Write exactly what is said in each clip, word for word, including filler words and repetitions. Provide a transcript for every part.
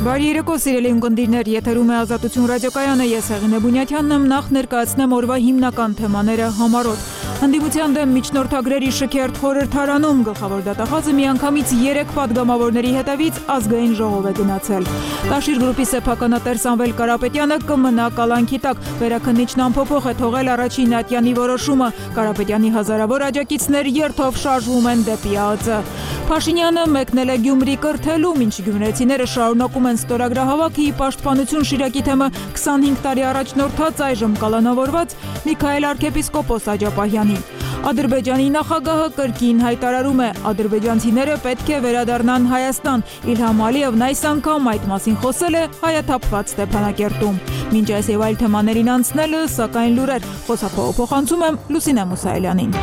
Բարի երեկո, սիրելի ունկնդիրներ, եթերում է Ազատություն ռադիոկայանը, ես Հեղինե Բունյաթյանն եմ, նախ ներկայացնեմ օրվա հիմնական թեմաները համառոտ։ Հանդիպության դեմ միջնորդագրերի շքերթ խորհրդարանում գլխավոր դատախազը միանգամից երեք падգամավորների հետևից ազգային ժողով է գնացել։ Տաշիր գրուպի սեփականատեր Սամվել Կարապետյանը կմնա կալանքի տակ, վերաքննիչն անփոփոխ է թողել առաջին ատյանի որոշումը, Կարապետյանի հազարավոր աջակիցներ երթով շարժվում են դեպի ԱԱԾ։ Փաշինյանը մեկնել է Գյումրի կրթելու, մինչ գյումրեցիները շարունակում են ստորագրահավաքի պաշտպանություն Շիրակի թեմը քսանհինգ տարի առաջնորդած այժմ կալանավորված Միքայել arքեպիսկոպոս Աջապահյանին։ Ադրբեջանի նախագահը կրկին հայտարարում է, ադրբեջանցիները պետք է վերադառնան Հայաստան։ Իլհամ Ալիևն այս անգամ այդ մասին խոսել է հայաթափված Ստեփանակերտում։ Մինչ այս եւ այլ թեմաներին անցնելը, սակայն լուրեր, խոսափողը փոխանցում եմ Լուսինե Մուսայելյանին։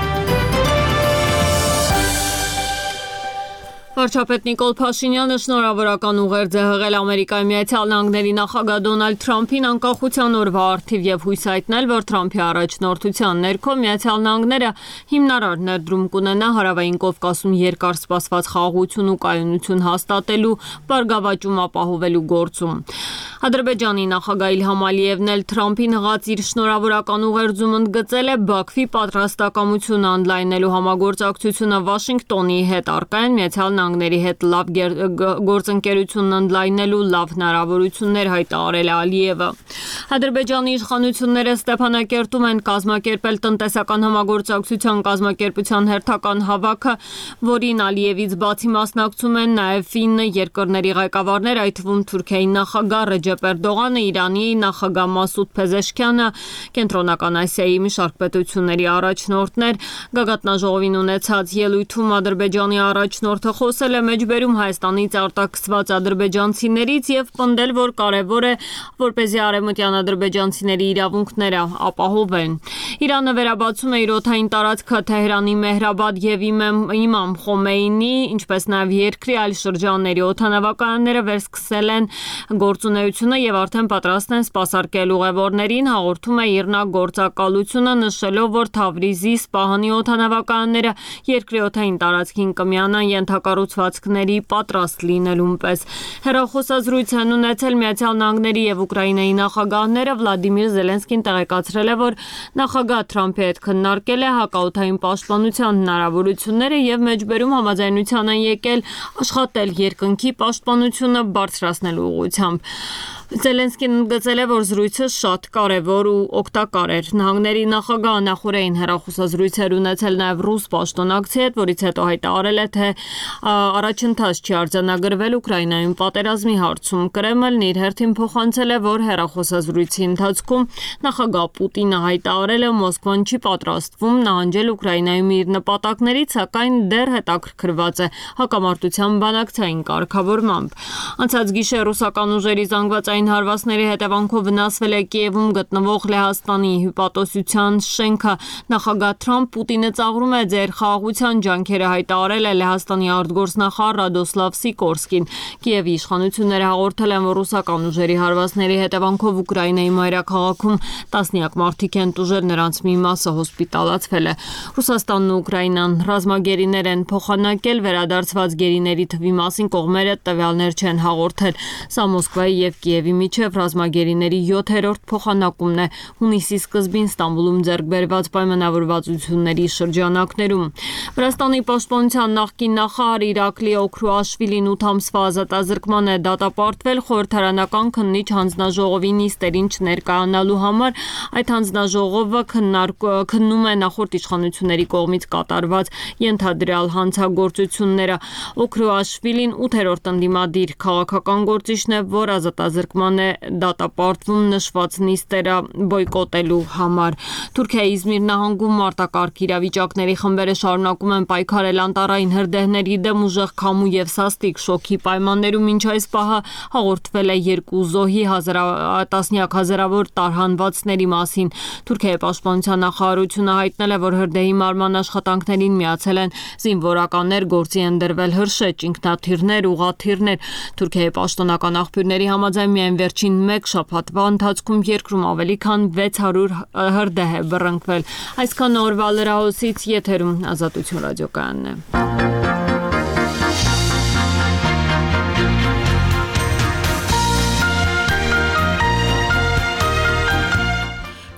Վարչապետ Նիկոլ Փաշինյանը շնորհավորական ուղերձ է հղել Ամերիկայի Միացյալ Նահանգների նախագահ Դոնալդ Թրամփին անկախության օրվա առթիվ եւ հույս հայտնել, որ Թրամփի առաջնորդության ներքո Միացյալ Նահանգները հիմնարար ներդրում կունենա Հարավային Կովկասում երկար սպասված խաղաղություն ու կայունություն հաստատելու, բարգավաճում ապահովելու գործում։ Ադրբեջանի նախագահ Իլհամ Ալիևն էլ Թրամփին հղած իր շնորհավորական ուղերձում ընդգծել է Բաքվի պատրաստակամությունը ընդլայնելու համագործակցությունը Վաշինգտոնի հետ, առկա են Միացյալ Նահանգների հետ լավ գործընկերությունն ընդլայնելու լավ հնարավորություններ հայտարարել է Ալիևը։ Ադրբեջանի իշխանությունները Ստեփանակերտում են կազմակերպել տնտեսական համագործակցության կազմակերպության հերթական հավաքը, որին Ալիևից բացի մասնակցում են նաև ֆին երկրների ղեկավարներ, այդ թվում Թուրքիայի նախագահ Ռեջեփ Էրդողանը, Իրանի նախագահ Մասուդ Փեզեշքյանը, Կենտրոնական Ասիայի մի շարք պետությունների առաջնորդներ։ Գագաթնաժողովին ունեցած ելույթում Ադրբեջանի առաջնորդը խոսել է մեջբերում Հայաստանից արտաքսված ադրբեջանցիներից եւ պնդել, որ կարեւոր է, որպեսզի արևմտյան ադրբեջանցիների իրավունքները ապահովեն։ Իրանը վերաբացում է իր օդային տարածքը Թեհրանի Մեհրաբադ եւ Իմամ Խոմեյնի, ինչպես նաեւ երկրի այլ շրջանների օդանավականները վերսկսել են գործունեությունը եւ արդեն պատրաստ են սպասարկել ուղևորներին, հաղորդում է Իրնագործակալությունը, նշելով, որ Թավրիզի, Սպահանի օդանավականները երկրի օդային տարածքին կմիանան ենթակառուցվածքների պատրաստ լինելուն պես։ Հեռախոսազրույց են ունեցել Միացյալ Նահանգների եւ Ուկրաինայի նախագահները, Վլադիմիր Զելենսկին տեղեկացրել է, որ նախագահ Թրամփի հետ քննարկել է հակաօդային պաշտպանության հնարավորությունները եւ մեջբերում համաձայնության են եկել աշխատել երկնքի պաշտպանությունը բարձրացնելու ուղղությամբ։ Զելենսկին ընդգծել է, որ զրույցը շատ կարևոր ու օգտակար էր։ Նահանգների նախագահը նախորդին հեռախոսազրույցեր ունեցել նաև ռուս պաշտոնակցի հետ, որից հետո հայտարարել է, թե առաջընթաց չի արձանագրվել Ուկրաինայում պատերազմի հարցում։ Կրեմլն իր հերթին փոխանցել է, որ հեռախոսազրույցի ընթացքում նախագահ Պուտինը հայտարարել է, Մոսկվան չի պատրաստվում նահանջել Ուկրաինայում իր նպատակներից, սակայն դեռ հետաքրքրված է հակամարտության բանակցային կարգավորմամբ։ Անցած գիշեր ռուսական ուժերի զանգվածային հարվածների հետևանքով վնասվել է Կիևում գտնվող Լեհաստանի հյուպատոսության շենքը։ Նախագահ Թրամփ Պուտինը ծաղրում է ձեր խաղաղության ջանքերը, հայտարարել է Լեհաստանի արտգործնախարար Ռադոսլավ Սիկորսկին։ Կիևի իշխանությունները հաղորդել են, որ ռուսական ուժերի հարվածների հետևանքով Ուկրաինայի մայրաքաղաքում տասնյակ մարդիկ են տուժել, նրանց մի մասը հոսպիտալացվել է։ Ռուսաստանն ու Ուկրաինան ռազմագերիներ են փոխանակել, վերադարձված գերիների թվի մասին կողմերը տվյալներ չեն հաղորդել։ Սա Մոսկվայի եւ Կիևի միջև ռազմագերիների յոթերորդ փոխանակումն է հունիսի սկզբին Ստամբուլում ձեռք բերված պայմանավորվածությունների շրջանակներում։ Վրաստանի պաշտպանության նախկին նախարար Իրակլի Օքրուաշվիլին ութ ամսվա ազատազրկման է դատապարտվել խորհրդարանական քննիչ հանձնաժողովի նիստերին չներկայանալու համար։ Այդ հանձնաժողովը քննում է նախորդ իշխանությունների կողմից կատարված ենթադրյալ հանցագործությունները։ Օքրուաշվիլին ութերորդ ընդդիմադիր քաղաքական գործիչն է, որ ազատազրկման է դատապարտվում նշված նիստերը բոյկոտելու համար։ Թուրքիայի Իզմիր նահանգում մարտակարգ իրավիճակների խմբերը շարունակում են պայքարել անտառային հրդեհների դեմ ուժեղ քամու եւ սաստիկ շոկի պայմաններում, մինչ այս պահը հաղորդվել է երկու զոհի տասնյակ հազարավոր տարհանվածների մասին։ Թուրքիայի պաշտպանության նախարարությունը հայտնել է, որ հրդեհի մարման աշխատանքներին միացել են զինվորականներ, գործի են դրվել հրշեջ, ինքնաթիռներ, ուղաթիռներ։ Թուրքիայի պաշտոնական աղբյուրների համաձայն միայն վերջին մեկ շաբաթվա ընթացքում երկրում ավելի քան վեց հարյուր հրդեհ է բռնկվել։ Այսքան օրվա լրահոսից, եթերում Ազատություն ռադիոկայանն է։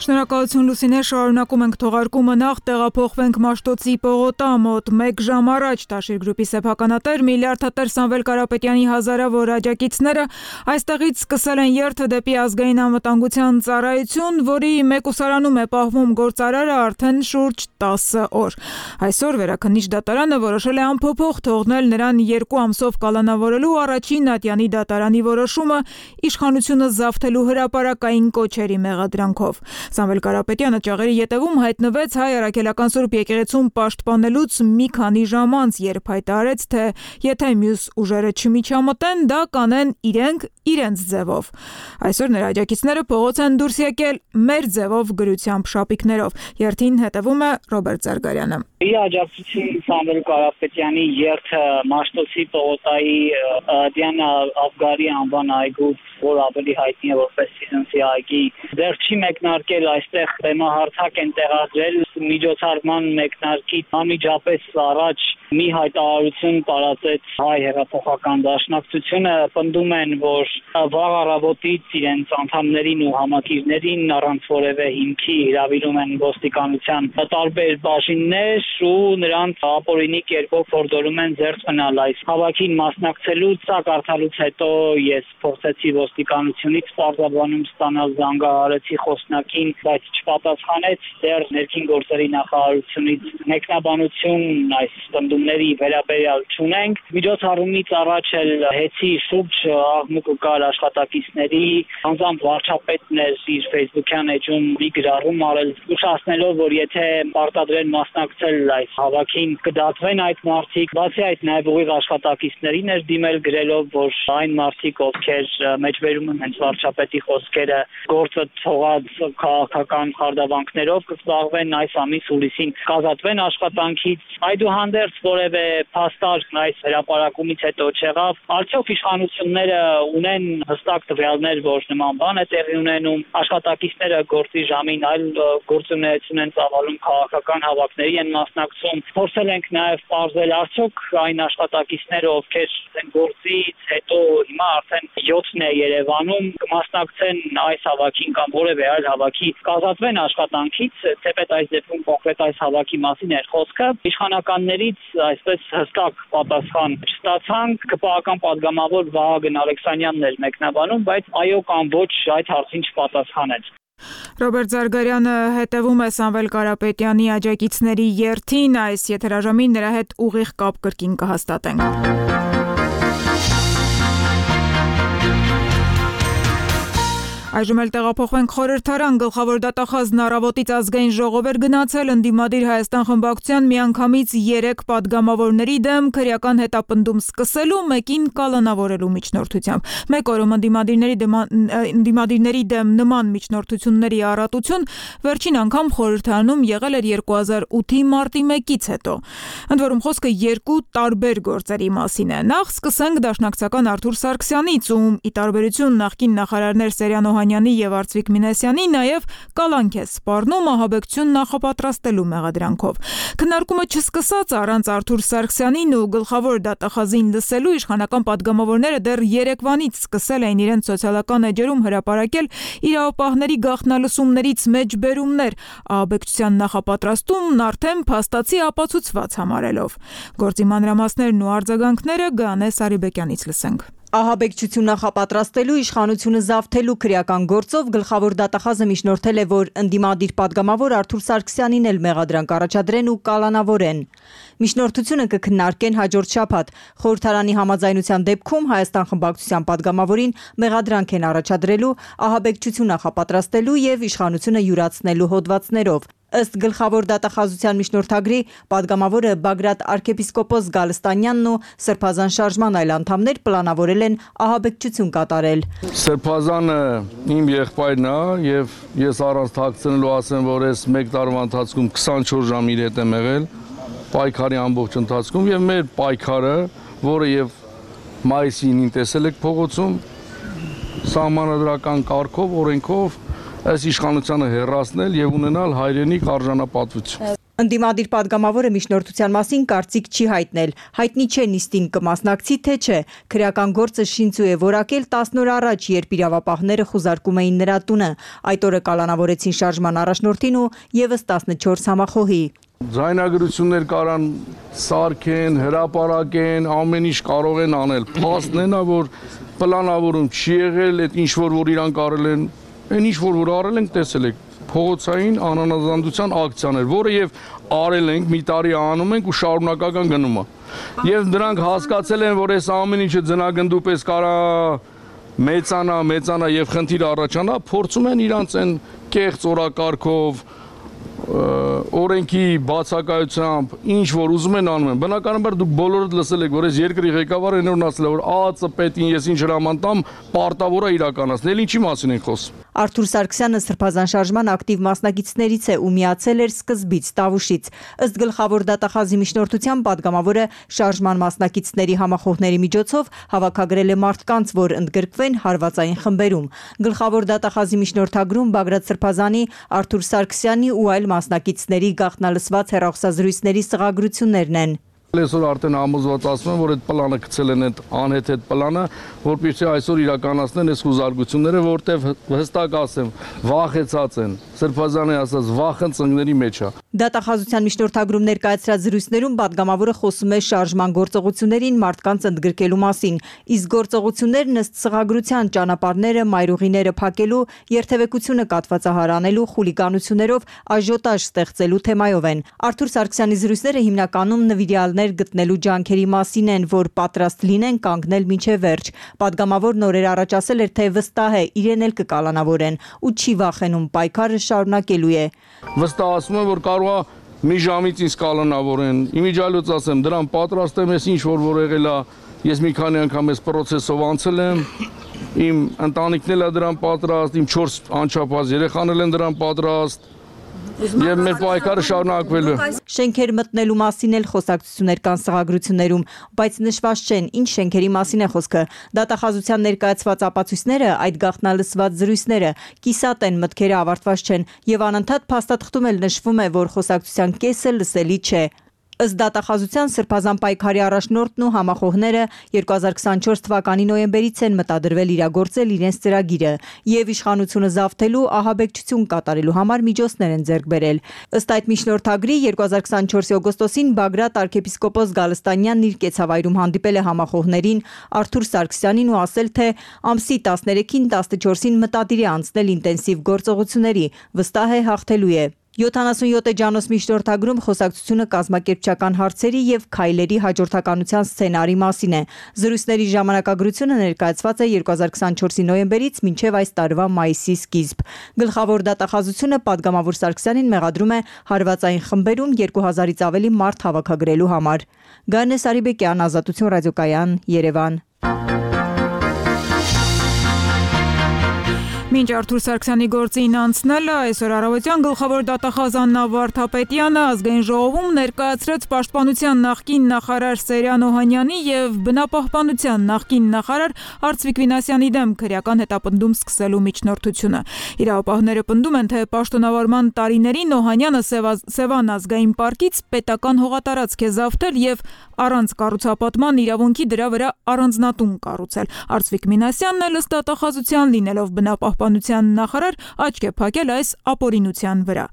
Շնորհակալություն Լուսինե, շարունակում ենք թողարկումը, նախ տեղափոխվենք Մաշտոցի պողոտա, մոտ մեկ ժամ առաջ Տաշիր գրուպի սեփականատեր միլիարդատեր Սամվել Կարապետյանի հազարավոր աջակիցները այստեղից սկսել են երթը դեպի ազգային անվտանգության ծառայություն, որի մեկուսարանում է պահվում գործարարը արդեն շուրջ տասը օր։ Այսօր Վերաքննիչ դատարանը որոշել է անփոփոխ թողնել նրան երկու ամսով կալանավորելու առաջին ատյանի դատարանի որոշումը իշխանությունը զավթելու հրապարակային կոչերի մեղադրանքով։ Սամվել Կարապետյանը ճաղերի ետևում հայտնվեց Հայ Առաքելական Սուրբ եկեղեցում պաշտպանելուց մի քանի ժամ անց, երբ հայտարարեց, թե եթե մյուս ուժերը չմիջամտեն, դա կանեն իրենք իրենց ձևով։ Այսօր նրա աջակիցները փողոց են դուրս եկել մեր ձևով գրությամբ շապիկներով։ Երթին հետևում է Ռոբերտ Զարգարյանը։ Իր աջակցություն Սամվել Կարապետյանի երթը Մաշտոցի պողոտայի Դիանա Աֆգարի անվան այգու, որ ավելի հայտնի է որպես Սիզնսի այգի, դեռ չի մեկնարկել, այստեղ բեմահարթակ են տեղադրել միջոցառման մեկնարկից անմիջապես առաջ մի հայտարարություն տարածեց Հայ հեղափոխական դաշնակցությունը, պնդում են, որ վաղ առավոտից իրենց անդամներին ու համակիրներին առանց որևէ հիմքի հրավիրում են ոստիկանության տարբեր բաժիններ ու նրանց ապօրինի կերպով փորձում են զերծ մնալ այս հավաքին մասնակցելուց։ Սա կարդալուց հետո ես փորձեցի ոստիկանությունից պարզաբանում ստանալ զանգահարեցի խոսնակին, բայց չպատասխանեց, դեռ ներքին գործերի նախարարությունից մեկնաբանություն այս պնդումների վերաբերյալ չունենք։ Միջոցառումից առաջ էլ հեցի շուրջ աղմուկը կար աշխատակիցների, անձամբ վարչապետն էր իր Facebook-յան էջում մի գրառում արել, զգուշացնելով, որ եթե պարտադրեն մասնակցել այս հավաքին, կդատվեն այդ մարդիկ։ Բացի այդ, նաև ուղիղ աշխատակիցներին էր դիմել գրելով, որ այն մարդիկ, ովքեր մեջբերում են հենց վարչապետի խոսքերը, գործը թողած քաղաքական խարդավանքներով կզբաղվեն այս ամիս հուլիսին, կազատվեն աշխատանքից։ Այդուհանդերձ որևէ փաստարկ այս հրապարակումից հետո չեղավ։ Արդյոք իշխանությունները ունեն հստակ տվյալներ, որ նման բան է տեղի ունենում, աշխատակիցները գործի ժամին այլ գործունեություն են ծավալում, քաղաքական հավաքների են մասնակցում։ Փորձել ենք նաև պարզել, արդյոք այն աշխատակիցները, ովքեր են գործից հետո հիմա արդեն յոթն է Երևանում, կմասնակցեն այս հավաքին կամ որևէ այլ հավաքի, կազատվեն աշխատանքից, թեպետ այս դեպքում կոնկրետ այս հավաքի մասին էր խոսքը։ Իշխանականներից այսպես հստակ պատասխան չստացանք, ԿՊԱ-ական պատգամավոր Վահագն Ալեքսանյանն էր մեկնաբանում, բայց այո կամ ոչ այդ հարցին չպատասխանեց։ Ռոբերտ Զարգարյանը հետևում է Սամվել Կարապետյանի աջակիցների երթին, այս եթերաժամին նրա հետ ուղիղ կապ կրկին կհաստատենք։ Այժմ էլ տեղափոխվենք խորհրդարան, գլխավոր դատախազն առավոտից ազգային ժողով էր գնացել ընդդիմադիր Հայաստան խմբակցության միանգամից երեք պատգամավորների դեմ քրեական հետապնդում սկսելու, մեկին կալանավորելու միջնորդությամբ։ Մեկ օրում ընդդիմադիրների ընդդիմադիրների դեմ նման միջնորդությունների առատություն վերջին անգամ խորհրդարանում եղել էր երկու հազար ութի մարտի մեկից հետո։ Ընդ որում խոսքը երկու տարբեր գործերի մասին է։ Նախ սկսենք դաշնակցական Արթուր Սարգսյանից, ում ի տարբերություն նախկին նախարարներ Սերյան Օհանյանի եւ Արծվիկ Մինասյանի նաեւ կալանք է սպառնում ահաբեկչություն նախապատրաստելու մեղադրանքով։ Քննարկումը չսկսած առանց Արթուր Սարգսյանին ու գլխավոր դատախազին լսելու իշխանական պատգամավորները դեռ երեկվանից սկսել էին իրենց սոցիալական էջերում հրապարակել իրավապահների գաղտնալսումներից մեջբերումներ, ահաբեկչության նախապատրաստումն արդեն փաստացի ապացուցված համարելով։ Գործի մանրամասներն ու արձագանքները Գանե Սարիբեկյանից լսենք։ Ահաբեկչություն նախապատրաստելու իշխանությունը զավթելու քրեական գործով գլխավոր դատախազը միջնորդել է, որ ընդդիմադիր պատգամավոր Արթուր Սարգսյանին էլ մեղադրանք առաջադրեն ու կալանավորեն։ Միջնորդությունը կքննարկեն հաջորդ շաբաթ։ Խորհրդարանի համաձայնության դեպքում Հայաստան խմբակցության պատգամավորին մեղադրանք են առաջադրելու ահաբեկչություն նախապատրաստելու եւ իշխանությունը յուրացնելու հոդվածներով։ Ըստ գլխավոր դատախազության միջնորդագրի պատգամավորը Բագրատ arczepiskopos Գալստանյանն ու Սրբազան շարժման այլ անդամներ պլանավորել են ահաբեկչություն կատարել։ Սրբազանը իմ եղբայրն է եւ ես առանց թաքցնելու ասեմ, որ ես մեկ տարվա ընթացքում քսանչորս ժամ իր հետ եմ եղել պայքարի ամբողջ ընթացքում եւ մեր պայքարը, որը եւ մայիսին տեսել եք փողոցում սահմանադրական կարգով, օրենքով այս իշխանությանը հեռացնել եւ ունենալ հայրենիք արժանապատվություն։ Ընդդիմադիր падգամավորը միջնորդության մասին կարծիք չի հայտնել։ Հայտնի չէ նիստին կմասնակցի թե չէ։ Քրեական գործը Շինցու է որակել տասն օր առաջ, երբ իրավապահները խուզարկում էին նրա տունը։ Այդ օրը կալանավորեցին շարժման առաջնորդին ու եւս տասնչորս համախոհի։ Ձայնագրություններ կարան սարքեն, հրապարակեն, ամեն ինչ կարող են անել։ Փաստն է նա, որ պլանավորում չի եղել, այդ ինչ որ որ իրանք արել են, այն ինչ որ որ արել ենք, տեսել եք։ Փողոցային անանազանդության ակցիաներ, որը եւ արել ենք, մի տարի անում ենք ու շարունակական գնում է։ Եվ նրանք հասկացել են, որ այս ամեն ինչը ձնագնդու պես կարա մեծանա, մեծանա եւ խնդիր առաջանա, փորձում են իրանց այն կեղծ օրակարգով օրենքի բացակայությամբ ինչ որ ուզում են անում են։ Բնականաբար դուք բոլորդ լսել եք, որ այս երկրի ղեկավարը այնօր ասել է, որ ԱԱԾ պետին ես ինչ հրաման տամ, պարտավոր է իրականացնել։ Ինչի մասին են խոսում։ Արթուր Սարգսյանը Սրբազան շարժման ակտիվ մասնակիցներից է ու միացել էր սկզբից Տավուշից։ Ըստ գլխավոր դատախազի միջնորդության падգամավորը շարժման մասնակիցների համախոհների միջոցով հավաքագրել է մարդկանց, որ ընդգրկվեն հարվածային խմբերում։ Գլխավոր դատախազի միջնորդագրում Բագրատ Սրբազանի, Արթուր Սարգսյանի ու այլ մասնակիցների գաղտնալսված հեռախոսազրույցների սղագրություններն են։ Այսօր արդեն համոզված ասում են, որ այդ պլանը գցել են այդ անհեթեթ պլանը, որպեսզի այսօր իրականացնեն այս խուզարկությունները, որտեղ հստակ ասեմ, վախեցած են։ Սրբազանի ասած վախը ծնկների մեջ է։ Դատախազության միջնորդագրում ներկայացրած զրույցներում падգամավորը խոսում է շարժման գործողություններին մարդկանց ընդգրկելու մասին, իսկ գործողություններն ըստ սղագրության ճանապարհները, մայրուղիները փակելու, երթևեկությունը կատվածահարանելու, խուլիգանություններով աժիոտաժ ստեղծելու թեմայով են։ Արթուր Սարգսյանի զրույցները հիմնականում նվիրյալներ գտնելու ջանքերի մասին են, որ պատրաստ լինեն կանգնել մինչև վերջ։ Падգամավորն օրեր առաջ ասել էր, թե վստահ է իրեն էլ կկալանավորեն ու չի վախենում, պայքարը շարունակելու է։ Վստահ եմ, որ կարող է մի ժամից ինձ կալանավորեն։ Իմիջիալոց ասեմ, դրան պատրաստ եմ, ես ինչ որ որ եղել է, ես մի քանի անգամ այս process-ով անցել եմ։ Իմ ընտանիքն էլ է դրան պատրաստ, իմ չորս անչափահաս երեխաներ են դրան պատրաստ։ Եվ մեր պայքարը շարունակվելու։ Շենքեր մտնելու մասին էլ խոսակցություններ կան սղագրություններում, բայց նշված չեն, ինչ շենքերի մասին է խոսքը։ Դատախազության ներկայացված ապացույցները, այդ գաղտնալսված զրույցները կիսատ են, մտքերը ավարտված չեն, եւ անընդհատ փաստաթղթում էլ նշվում է, որ խոսակցության կեսը լսելի չէ։ Ըստ դատախազության Սրբազան պայքարի առաջնորդն ու համախոհները երկու հազար քսանչորս թվականի նոյեմբերից են մտադրվել իրագործել իրենց ծրագիրը եւ իշխանությունը զավթելու ահաբեկչություն կատարելու համար միջոցներ են ձեռք բերել։ Ըստ այդ միջնորդագրի երկու հազար քսանչորսի օգոստոսին Բագրատ arczepiskopos Գալստանյանն իր կեցավայրում հանդիպել է համախոհներին Արթուր Սարգսյանին ու ասել, թե ամսի տասներեքին տասնչորսին մտադիր է անցնել ինտենսիվ գործողությունների, վստահ է հաղթելու է։ յոթանասունյոթ էջանոց միջնորդագրում խոսակցությունը կազմակերպչական հարցերի եւ քայլերի հաջորդականության սցենարի մասին է։ Զրույցների ժամանակագրությունը ներկայացված է երկու հազար քսանչորսի նոյեմբերից մինչև այս տարվա մայիսի սկիզբ։ Գլխավոր դատախազությունը падգամավոր Սարգսյանին մեղադրում է հարվածային խմբերում երկու հազարից ավելի մարդ հավաքագրելու համար։ Գանե Սարիբեկյան, Ազատություն ռադիոկայան, Երևան։ Մինչ Արթուր Սարգսյանի գործին անցնելը այսօր առավոտյան գլխավոր դատախազ Աննա Վարդապետյանը ազգային ժողովում ներկայացրեց Պաշտպանության նախկին նախարար Սերյան Օհանյանի եւ Բնապահպանության նախկին նախարար Արծվիկ Վինասյանի դեմ քրեական հետապնդում սկսելու միջնորդությունը։ Իրավապահները պնդում են, թե պաշտոնավարման տարիներին Օհանյանը Սևան ազգային պարկից պետական հողատարածք է զավթել եւ առանց կառուցապատման իրավունքի դրա վրա առանձնատուն կառուցել։ Արծվիկ Վինասյանն էլ ըստ դատախազության լինելով բնապահպանության նախարար աչք է փակել այս ապօրինության վրա։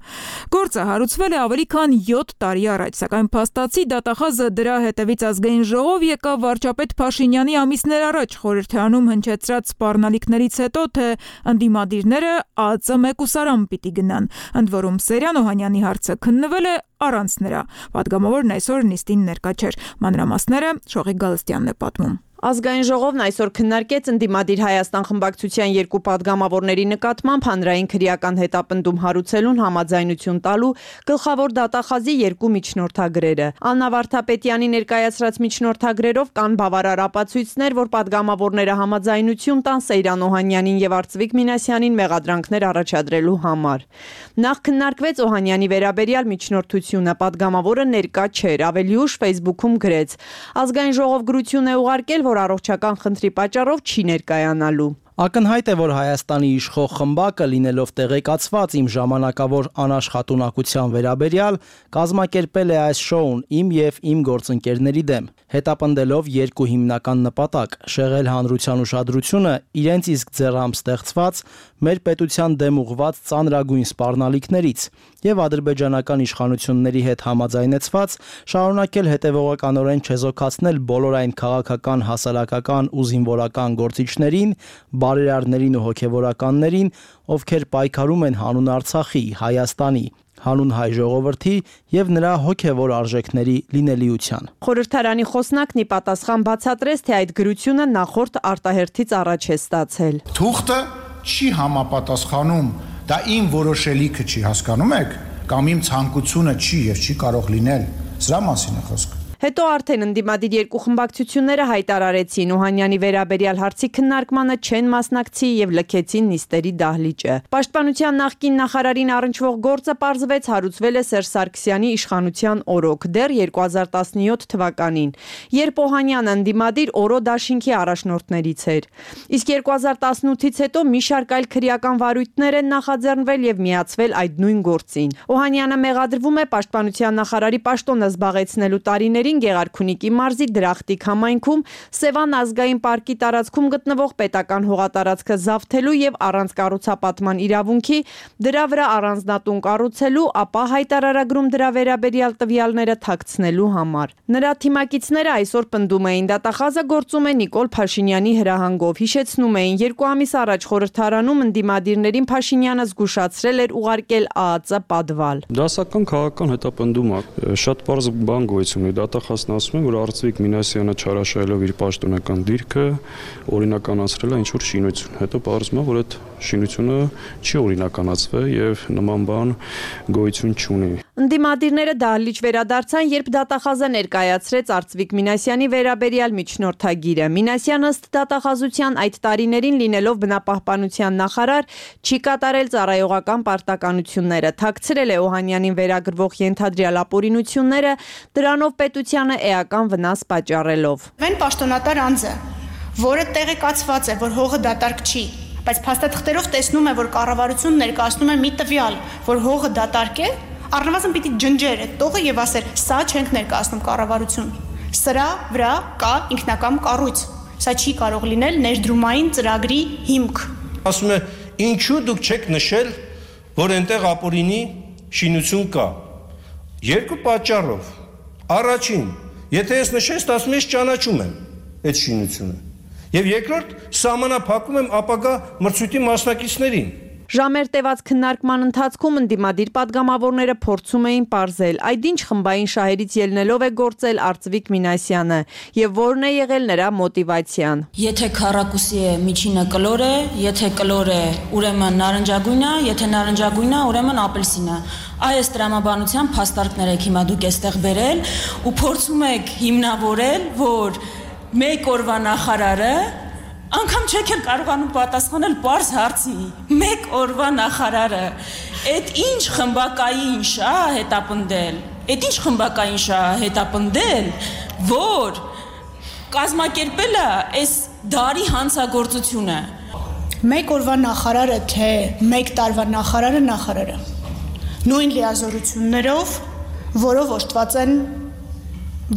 Գործը հարուցվել է ավելի քան յոթ տարի առաջ, սակայն փաստացի դատախազը դրա հետևից ազգային ժողով եկավ վարչապետ Փաշինյանի ամիսներ առաջ խորհրդարանում հնչեցրած սպառնալիքներից հետո, թե ընդդիմադիրները ԱԱԾ մեկուսարան պիտի գնան։ Ընդ որում Սերյան Օհանյանի հարցը քննվել է առանց նրա։ Պատգամավորն այսօր նիստին ներկա չէր։ Մանրամասները Շողիկ Գալստյանն է պատմում։ Ազգային ժողովն այսօր քննարկեց ընդդիմադիր Հայաստան խմբակցության երկու падգամավորների նկատմամբ հանրային քրեական հետապնդում հարուցելուն համաձայնություն տալու գլխավոր դատախազի երկու միջնորդագրերը։ Աննա Վարդապետյանի ներկայացրած միջնորդագրերով կան բավարար ապացույցներ, որ падգամավորները համաձայնություն տան Սեյրան Օհանյանին եւ Արծվիկ Մինասյանին մեղադրանքներ առաջադրելու համար։ Նախ քննարկվեց Օհանյանի վերաբերյալ միջնորդությունը, падգամավորը ներկա չէր, ավելի ուշ Facebook-ում գրեց. ազգային ժողով գրություն է ուղարկել, որ առողջական խնդրի պատճառով չի ներկայանալու։ Ակնհայտ է, որ Հայաստանի իշխող խմբակը, լինելով տեղեկացված իմ ժամանակավոր անաշխատունակության վերաբերյալ, կազմակերպել է այս շոուն իմ և իմ գործընկերների դեմ, հետապնդելով երկու հիմնական նպատակ՝ շեղել հանրության ուշադրությունը իրենց իսկ ձեռամբ ստեղծված, մեր պետության դեմ ուղղված ծանրագույն սպառնալիքներից և ադրբեջանական իշխանությունների հետ համաձայնեցված շարունակել հետևողականորեն չեզոքացնել բոլոր այն քաղաքական, հասարակական ու զինվորական գործիչներին, բարերարներին ու հոգևորականներին, ովքեր պայքարում են հանուն Արցախի, Հայաստանի, հանուն հայ ժողովրդի և նրա հոգևոր արժեքների լինելիության։ Խորհրդարանի խոսնակն ի պատասխան բացատրեց, թե այդ գրությունը նախորդ արտահերթից առաջ է ստացել։ Թուղթը չի համապատասխանում, դա իմ որոշելիքը չի, հասկանում եք, կամ իմ ցանկությունը չի և չի կարող լինել, սրա մասին է խոսքը։ Հետո արդեն ընդդիմադիր երկու խմբակցությունները հայտարարեցին Օհանյանի վերաբերյալ հարցի քննարկմանը չեն մասնակցի և լքեցին նիստերի դահլիճը։ Պաշտպանության նախկին նախարարին առնչվող գործը պարզվեց հարուցվել է Սերժ Սարգսյանի իշխանության օրոք դեռ երկու հազար տասնյոթ թվականին, երբ Օհանյանը ընդդիմադիր Օրո դաշինքի առաջնորդներից էր։ Իսկ երկու հազար տասնութից հետո մի շարք այլ քրեական վարույթներ են նախաձեռնվել և միացվել այդ նույն գործին։ Օհանյանը մեղադրվում է պաշտպանության նախարարի պաշտոնը զբաղեցնելու տարիներին Գեղարքունիքի մարզի Դրախտիկ համայնքում Սևան ազգային պարկի տարածքում գտնվող պետական հողատարածքը զավթելու և առանց կառուցապատման իրավունքի դրա վրա առանձնատուն կառուցելու, ապա հայտարարագրում դրա վերաբերյալ տվյալները թաքցնելու համար։ Նրա թիմակիցները այսօր պնդում էին, դատախազը գործում է Նիկոլ Փաշինյանի հրահանգով, հիշեցնում էին, երկու ամիս առաջ խորհրդարանում ընդդիմադիրներին Փաշինյանը զգուշացրել էր ուղարկել ԱԱԾ պատվալ։ Դասական քաղաքական հետապնդում է, շատ պարզ բան գոյություն ունի, դատախազն ասում է, որ Արծվիկ Մինասյանը չարաշահելով իր պաշտոնական դիրքը օրինականացրել է ինչ-որ շինություն։ Հետո պարզվում է, որ այդ շինությունը չի օրինականացվել և նման բան գոյություն չունի։ Ընդդիմադիրները դահլիճ վերադարձան, երբ դատախազը ներկայացրեց Արծվիկ Մինասյանի վերաբերյալ միջնորդագիրը։ Մինասյանը ըստ դատախազության այդ տարիներին լինելով բնապահպանության նախարար չի կատարել ծառայողական պարտականությունները, թաքցրել է Օհանյանին վերագրվող ենթադրյալ ապօրինությունները, դրանով պետությանը էական վնաս պատճառելով։ Վեն պաշտոնատար անձ է, որը տեղեկացված է, որ հողը դատարկ չի, բայց փաստաթղթերով տեսնում է, որ կառավարությունն ներկայացնում է մի տվյալ, որ հողը դատարկ է, առնվազն պիտի ջնջեր այդ տողը եւ ասեր, սա չենք ներկայացնում կառավարություն։ Սրա վրա կա ինքնակամ կառույց։ Սա չի կարող լինել ներդրումային ծրագրի հիմք։ Ասում է, ինչու դուք չեք նշել, որ այնտեղ ապօրինի շինություն կա։ Երկու պատճառով։ Առաջին, եթե ես նշես, ասում ես ճանաչում եմ այդ շինությունը։ Եվ երկրորդ, սահմանափակում եմ ապագա մրցույթի մասնակիցներին։ Ժամեր տևած քննարկման ընթացքում ընդդիմադիր պատգամավորները փորձում էին պարզել, այդ ինչ խմբային շահերից ելնելով է գործել Արծվիկ Մինասյանը եւ որն է եղել նրա մոտիվացիան։ Եթե քառակուսի է, միջինը կլոր է, եթե կլոր է, ուրեմն նարնջագույն է, եթե նարնջագույն է, ուրեմն ապելսին է։ Այս տրամաբանության փաստարկներ եք հիմա դուք էստեղ բերել ու փորձում եք հիմնավորել, որ մեկ օրվա նախարարը անգամ չեք էլ կարողանում պատասխանել պարզ հարցի։ Մեկ օրվա նախարարը այդ ինչ խմբակային շահ հետապնդել, այդ ինչ խմբակային շահ հետապնդել, որ կազմակերպել է այս դարի հանցագործությունը։ Մեկ օրվա նախարարը թե մեկ տարվա նախարարը նախարարը։ Նույն լիազորություններով, որով օժտված են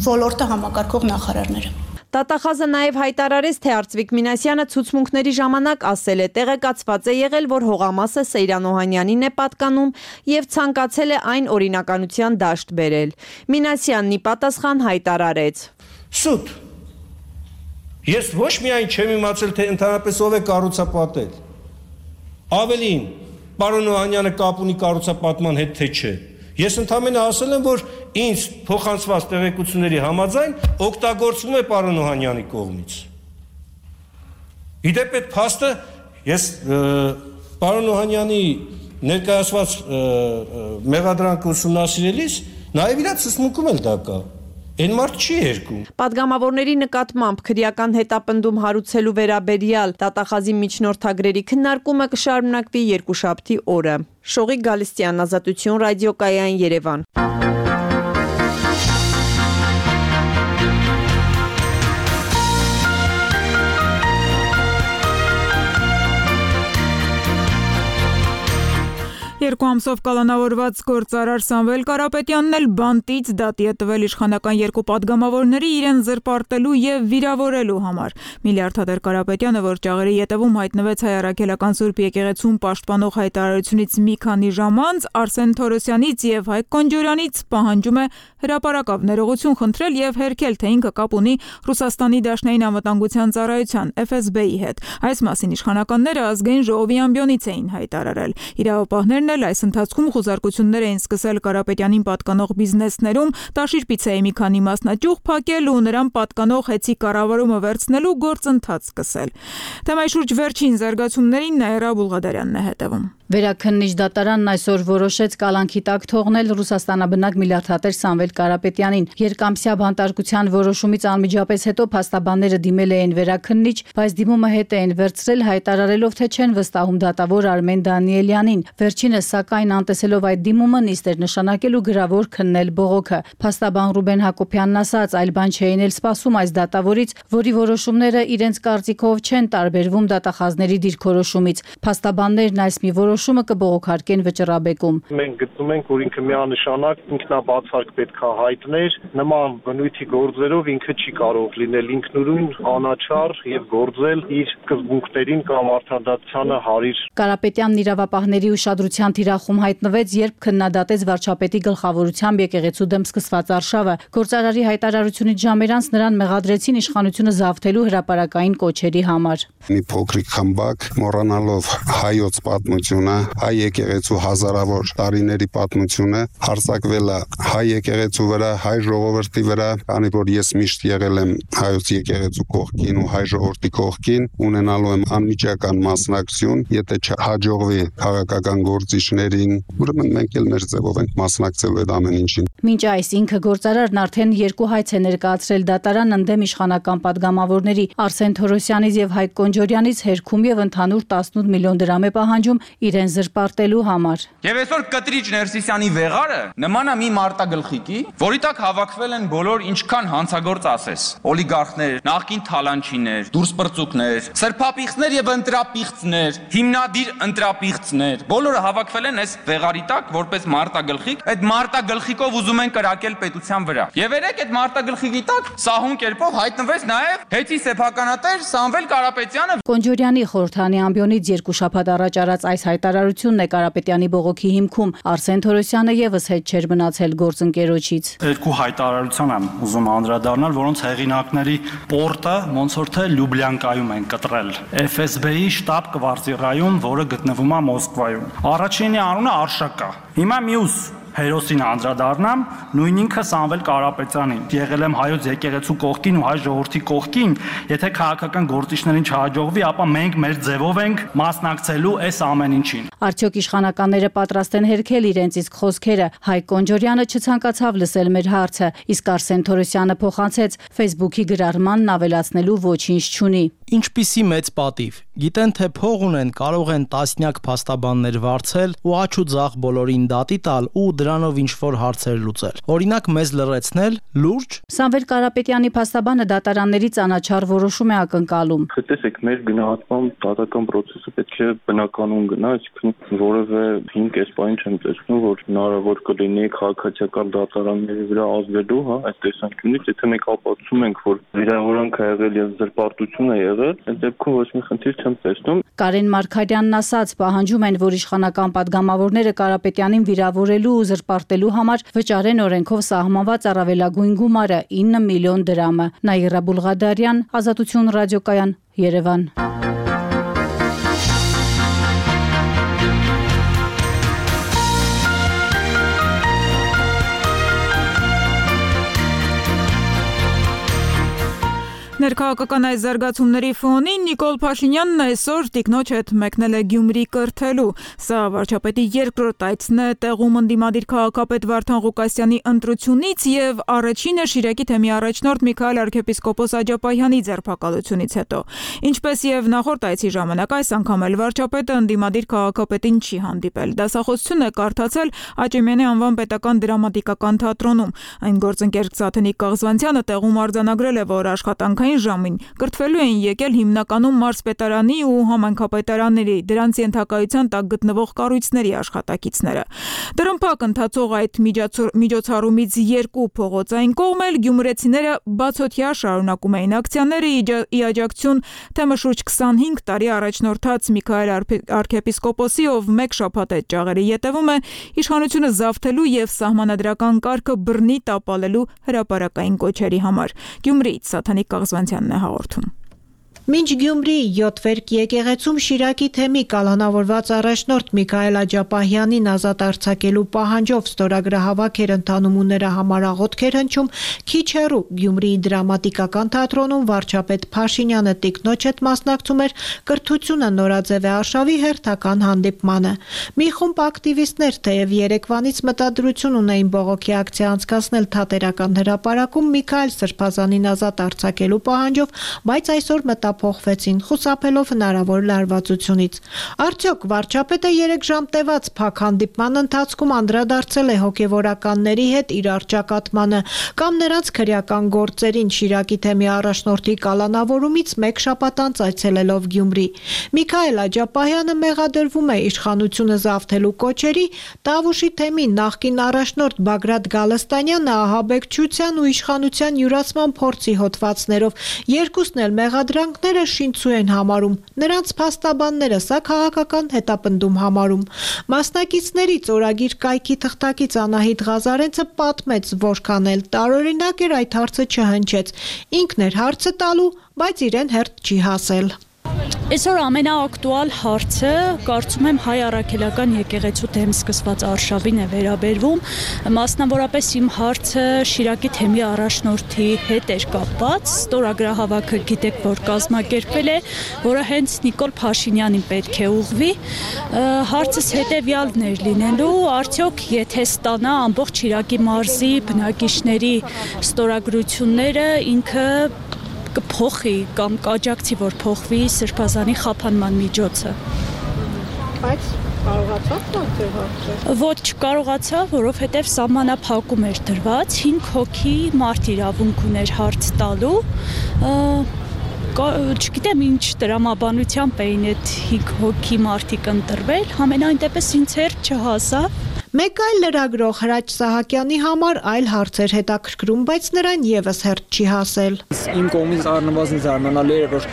ոլորտը համակարգող նախարարները։ Դատախազը նաև հայտարարեց, թե Արծվիկ Մինասյանը ցուցմունքների ժամանակ ասել է, տեղեկացված է եղել, որ հողամասը Սեյրան Օհանյանին է պատկանում և ցանկացել է այն օրինականության դաշտ բերել։ Մինասյանն ի պատասխան հայտարարեց. Սուտ, ես ոչ միայն չեմ իմացել, թե ընդհանրապես ով է կառուցապատել։ Ավելին, պարոն Օհանյանը կապ ունի կառուցապատման հետ, թե չէ։ Ես ընդամենը ասել եմ, որ ինձ փոխանցված տեղեկությունների համաձայն օգտագործվում է պարոն Օհանյանի կողմից։ Իդեպ այդ փաստը ես պարոն Օհանյանի ներկայացված մեղադրանքը ուսումնասիրելիս նաև իր ցուցմունքում էլ դա կա։ Այն մարդ չի երկում։ Պատգամավորների նկատմամբ քրեական հետապնդում հարուցելու վերաբերյալ դատախազի միջնորդագրերի քննարկումը կշարունակվի երկուշաբթի օրը։ Շողիկ Գալստյան, Ազատություն, Ռադիոկայան, Երևան։ Երկու ամսով կալանավորված գործարար Սամվել Կարապետյանն էլ բանտից դատի է տվել իշխանական երկու պատգամավորների իրեն զրպարտելու եւ վիրավորելու համար։ Միլիարդատեր Կարապետյանը, որ ճաղերի ետևում հայտնվեց Հայ առաքելական Սուրբ եկեղեցուն պաշտպանող հայտարարությունից մի քանի ժամ անց, Արսեն Թորոսյանից եւ Հայկ Կոնջորյանից պահանջում է հրապարակավ ներողություն խնդրել եւ հերքել, թե ինքը կապ ունի Ռուսաստանի Դաշնային անվտանգության ծառայության Էֆ Էս Բի-ի հետ։ Այս մասին իշխանականները ազգային ժողովի ամբիոնից էին հայտարարել։ Իրավապահներն էլ այս ընթացքում խոզարկություններ էին սկսել Կարապետյանին պատկանող բիզնեսներում, Տաշիր-Պիցայի մի քանի մասնաճյուղ փակել ու նրան պատկանող հեծի կառավարումը վերցնելու գործընթաց սկսել։ Թեմայի շուրջ վերջին զարգացումներին Նաիրա Բուլղադարյանն է հետևում։ Վերաքննիչ դատարանն այսօր որոշեց կալանքի տակ թողնել Ռուսաստանաբնակ միլիարդատեր Սամվել Կարապետյանին։ Երկամսյա բանտարկության որոշումից անմիջապես հետո փաստաբանները դիմել էին վերաքննիչ, բայց դիմումը հետ էին վերցրել, հայտարարելով, թե չեն վստահում դատավոր Արմեն Դանիելյանին։ Վերջինս, սակայն, անտեսելով այդ դիմումը, նիստ էր նշանակել ու գրավոր քննել բողոքը։ Փաստաբան Ռուբեն Հակոբյանն ասաց, այլ բան չէին էլ սպասում այս դատավորից, որի որոշումները իրենց կարծիքով չեն տարբերվում դատախազների դիրքորոշումից։ Փաստաբաններն այս մի որոշումը կբողոքարկեն վճռաբեկում։ Մենք գտնում ենք, որ ինքը միանշանակ ինքնաբացարկ պետք է հայտներ, նման բնույթի գործերով ինքը չի կարող լինել ինքնուրույն, անաչառ եւ գործել իր սկզբունքներին կամ արդարադատությանը հարիր։ Կարապետյանն իրավապահների ուշադրության թիրախում հայտնվեց, երբ քննադատեց վարչապետի գլխավորությամբ եկեղեցու դեմ սկսված արշավը։ Գործարարի հայտարարությունից ժամեր անց նրան մեղադրեցին իշխանությունը զավթելու հրապարակային կոչերի համար։ Մի փոքրիկ խմբակ, մոռանալով հայոց պատմությունը, հայ եկեղեցու հազարավոր տարիների պատմությունը, հարձակվել է հայ եկեղեցու վրա, հայ ժողովրդի վրա, քանի որ ես միշտ եղել եմ հայոց եկեղեցու կողքին ու հայ ժողովրդի կողքին, ունենալու եմ անմիջական մասնակցություն, եթե չհաջողվի քաղաքական գործիչներին, ուրեմն մենք էլ մեր ձևով ենք մասնակցելու այդ ամեն ինչին։ Մինչ այս ինքը գործարարն արդեն երկու հայց է ներկայացրել դատարան ընդդեմ իշխանական պատգամավորների Արսեն Թորոսյանից եւ Հայկ Կոնջորյանից հերքում եւ ընդհանուր տասնութ միլիոն դրամ է պահանջում իրեն զրպարտելու համար։ Եվ այսօր Կտրիչ Ներսիսյանի վեղարը նման է մի մարտագլխիկի, որի տակ հավաքվել են բոլոր ինչքան հանցագործ ասես, օլիգարխներ, նախկին թալանչիներ, դուրսպրծուկներ, սրբապիղծներ եւ ընտրապիղծներ, հիմնադիր ընտրապիղծներ, բոլորը հավաքվել են այս վեղարի տակ որպես մարտագլխիկ, այդ մարտագլխիկով ուզում են կրակել պետության վրա։ Եվ երեք այդ մարտագլխիկի տակ սահուն կերպով հայտնվեց նաեւ հեծի սեփականատեր Սամվել Կարապետյանը։ Կոնջորյանի խորհրդանի ամբիոնից երկու շաբաթ առաջ արած այս հայտարարությունն է Կարապետյանի բողոքի հիմքում։ Արսեն Թորոսյանը եւս հետ չէր մնացել գործընկերոջից։ Երկու հայտարարության եմ ուզում անդրադառնալ, որոնց հեղինակների պորտը ոնց որ թե Լյուբլյանկայում են կտրել։ Էֆ Էս Բի-ի շտաբ կվարտիրայում, որը գտնվում է Մոսկվայում։ Առաջինի անունը Արշակա։ Հիմա մյուս հերոսին անդրադառնամ, նույն ինքը Սամվել Կարապետյանին։ Եղել եմ հայոց եկեղեցու կողքին ու հայ ժողովրդի կողքին, եթե քաղաքական գործիչներին չհաջողվի, ապա մենք մեր ձևով ենք մասնակցելու այս ամեն ինչին։ Արդյոք իշխանականները պատրաստ են հերքել իրենց իսկ խոսքերը։ Հայկ Կոնջորյանը չցանկացավ լսել մեր հարցը, իսկ Արսեն Թորոսյանը փոխանցեց Facebook-ի գրառմանն ավելացնելու ոչինչ չունի։ Ինչպիսի մեծ պատիվ։ Գիտեն, թե փող ունեն, կարող են տասնյակ փաստաբաններ վարձել ու աչ ու ձախ բոլորին դատի տալ ու դրանով ինչ-որ հարցեր լուծել։ Օրինակ մեզ լրացնել, լուրջ։ Սամվել Կարապետյանի փաստաբանը դատարաններից անաչառ որոշում է ակնկալում։ Տեսեք, մեր գնահատման դատական process-ը պետք է բնականon գնա, այսինքն որևէ հիմք այս բանը չեմ տեսնում, որ հնարավոր կլինի քաղաքացիական դատարանների վրա ազդելու, հա, այս տեսանկյունից, եթե մենք ապացուցում ենք, որ վիրավորանք ա եղել եւ զրպարտություն է եղել, այդ դեպքում ոչ մի խնդիր չեմ տեսնում։ Կարեն Մարգարյանն ասաց, պահանջում են, որ իշխանական պատգամավորները Կարապետյանին վիրավորելու ու զրպարտելու համար վճարեն օրենքով սահմանված առավելագույն գումարը ինը միլիոն դրամը։ Նաիրա Բուլղադարյան, Ազատություն ռադիոկայան, Երևան։ Ներքաղաքական այս զարգացումների ֆոնին Նիկոլ Փաշինյանն այսօր տիկնոջ հետ մեկնել է Գյումրի կրթելու։ Սա վարչապետի երկրորդ այցն է տեղում ընդդիմադիր քաղաքապետ Վարդան Ղուկասյանի ընտրությունից եւ առաջինը Շիրակի թեմի առաջնորդ Միքայել arczepiskopos Աջապահյանի ձերբակալությունից հետո։ Ինչպես եւ նախորդ այցի ժամանակ այս անգամ էլ վարչապետը ընդդիմադիր քաղաքապետին չի հանդիպել։ Դասախոսություն է կարդացել Աճեմյանի անվան պետական դրամատիկական թատրոնում։ Այն գործընկեր Սաթենիկ Կաղզվանցյանը տեղում արձանագրել է, որ աշխատանքային կեսային ժամին կրթվելու էին եկել հիմնականում մարզպետարանի ու համայնքապետարանների, դրանց ենթակայության տակ գտնվող կառույցների աշխատակիցները։ Տրմփակ ընթացող այդ միջոցառումից երկու փողոցային կողմ էլ գյումրեցիները բացօթյա շարունակում էին ակցիաները ի աջակցություն թեմը շուրջ քսանհինգ տարի առաջնորդած Միքայել արքեպիսկոպոսի, ով մեկ շաբաթ այդ ճաղերի ետևում է իշխանությունը զավթելու եւ սահմանադրական կարգը բռնի տապալելու հրապարակային կոչերի համար։ Գյումրիից Սաթանիկ Կաղզվանցյանն է հաղորդում։ Մինչ Գյումրիի յոթվերկ եկեղեցում Շիրակի թեմի կալանավորված առաջնորդ Միքայել Աջապահյանին ազատ արձակելու պահանջով ստորագրահավաք էր ընթանում ու նրա համար աղոթք էր հնչում, քիչ հեռու Գյումրիի դրամատիկական թատրոնում վարչապետ Փաշինյանը տիկնոջ հետ մասնակցում էր կրթությունը նորաձև է արշավի հերթական հանդիպմանը։ Մի խումբ ակտիվիստներ թեև երեկվանից մտադրություն ունեին բողոքի ակցիա անցկացնել Թատերական հրապարակում Միքայել Սրբազանին ազատ արձակելու պահանջով, բայց այսօր մտա փոխվեցին խուսափելով հնարավոր լարվածությունից։ Արդյոք վարչապետը երեք ժամ տևած փակ հանդիպման ընթացքում անդրադարձել է հոգևորականների հետ իր առճակատմանը կամ նրանց քրեական գործերին Շիրակի թեմի առաջնորդի կալանավորումից մեկ շաբաթ անց այցելելով Գյումրի։ Միքայել Աջապահյանը մեղադրվում է իշխանությունը զավթելու կոչերի, Տավուշի թեմի նախկին առաջնորդ Բագրատ Գալստանյանը ահաբեկչության ու իշխանության յուրացման փորձի հոդվածներով, երկուսն էլ մեղադրանք շինծու են համարում, նրանց փաստաբանները սա քաղաքական հետապնդում համարում։ Մասնակիցներից օրագիր կայքի թղթակից Անահիտ Ղազարենցը պատմեց, որքան էլ տարօրինակ էր այդ հարցը չհնչեց։ Ինքն էր հարցը տալու, բայց իրեն հերթ չի հասել։ Այսօր ամենաակտուալ հարցը կարծում եմ հայ առաքելական եկեղեցու դեմ սկսված արշավին է վերաբերվում, մասնավորապես իմ հարցը Շիրակի թեմի առաջնորդի հետ էր կապված, ստորագրահավաքը գիտեք, որ կազմակերպվել է, որը հենց Նիկոլ Փաշինյանին պետք է ուղղվի, հարցս հետևյալն էր լինելու, արդյոք եթե ստանա ամբողջ Շիրակի մարզի բնակիչների ստորագրությունները, ինքը կփոխի կամ կաջակցի, որ փոխվի Սրբազանի խափանման միջոցը։ Բայց կարողացավ բացել հարցը։ Ոչ չկարողացավ, որովհետև սահմանափակում էր դրված, հինգ հոգի մարդ իրավունք ուներ հարց տալու։ Չգիտեմ ինչ տրամաբանությամբ էին այդ հինգ հոգի մարդիկ ընտրվել, համենայն դեպս ինձ հերթ չհասավ։ Մեկ այլ լրագրող Հրաչ Սահակյանի համար այլ հարցեր հետաքրքրում, բայց նրան եւս հերթ չի հասել։ Իմ կողմից առնվազն զարմանալի էր, որ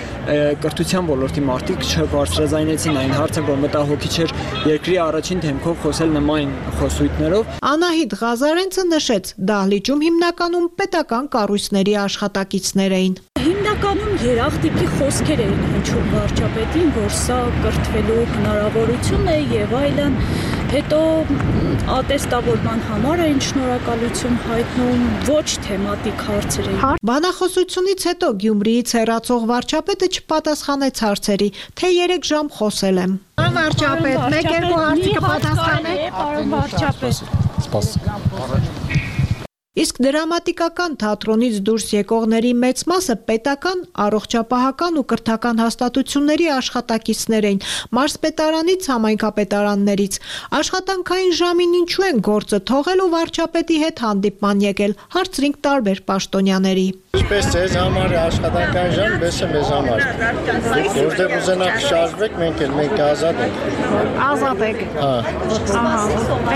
կրթության ոլորտի մարդիկ չբարձրաձայնեցին այն հարցը, որ մտահոգիչ էր երկրի առաջին դեմքով խոսել նման խոսույթներով։ Անահիտ Ղազարենցը նշեց, դահլիճում հիմնականում պետական կառույցների աշխատակիցներ էին։ Հիմնականում երախտիկի խոսքեր էին հնչում վարչապետին, որ սա կրթվելու հնարավորություն է եւ այլն, հետո ատեստավորման համար էին շնորհակալություն հայտնում, ոչ թեմատիկ հարցեր էին։ Բանախոսությունից հետո Գյումրիից հեռացող վարչապետը չպատասխանեց հարցերի, թե երեք ժամ խոսել եմ։ Վարչապետ, մեկ երկու հարցի կպատասխանեք։ Պարոն վարչապետ։ Սպասեք։ Իսկ դրամատիկական թատրոնից դուրս եկողների մեծ մասը պետական, առողջապահական ու կրթական հաստատությունների աշխատակիցներ էին, մարզպետարանից, համայնքապետարաններից։ Աշխատանքային ժամին ինչու են գործը թողել ու վարչապետի հետ հանդիպման եկել, հարցրինք տարբեր պաշտոնյաների։ Ինչպես ձեզ համար է աշխատանքային ժամ, պես է մեզ համար։ Որտեղ ուզենաք շարժվեք, մենք էլ մենք ազատ ենք։ Ազատ եք։ Հա։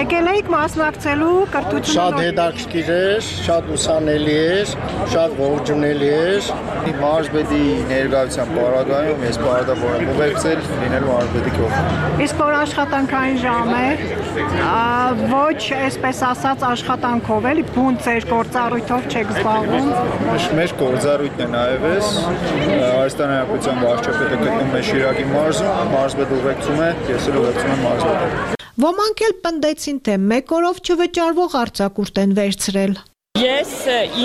Եկել եք մասնակցելու կրթությունը։ Շատ հետաքրքիր է, շատ ուսանելի է, շատ ողջունելի է։ Մարզպետի ներկայության պարագայում ես պարտավոր եմ ուղեկցել լինելու մարզպետի կողմից։ Իսկ որ աշխատանքային ժամ է, ոչ այսպես ասած աշխատանքով էլի, բուն ձեր գործառույթով չեք զբաղվում։ Մեր գործառույթն է նաև էս, Հայաստանի Հանրապետության վարչապետը գտնվում է Շիրակի մարզում, մարզպետը ուղեկցում է, ես էլ ուղեկցում եմ մարզպետը։ Ոմանք էլ պնդեցին, թե մեկ օրով չվճարվող արձակուրդ են վերցրել։ Ես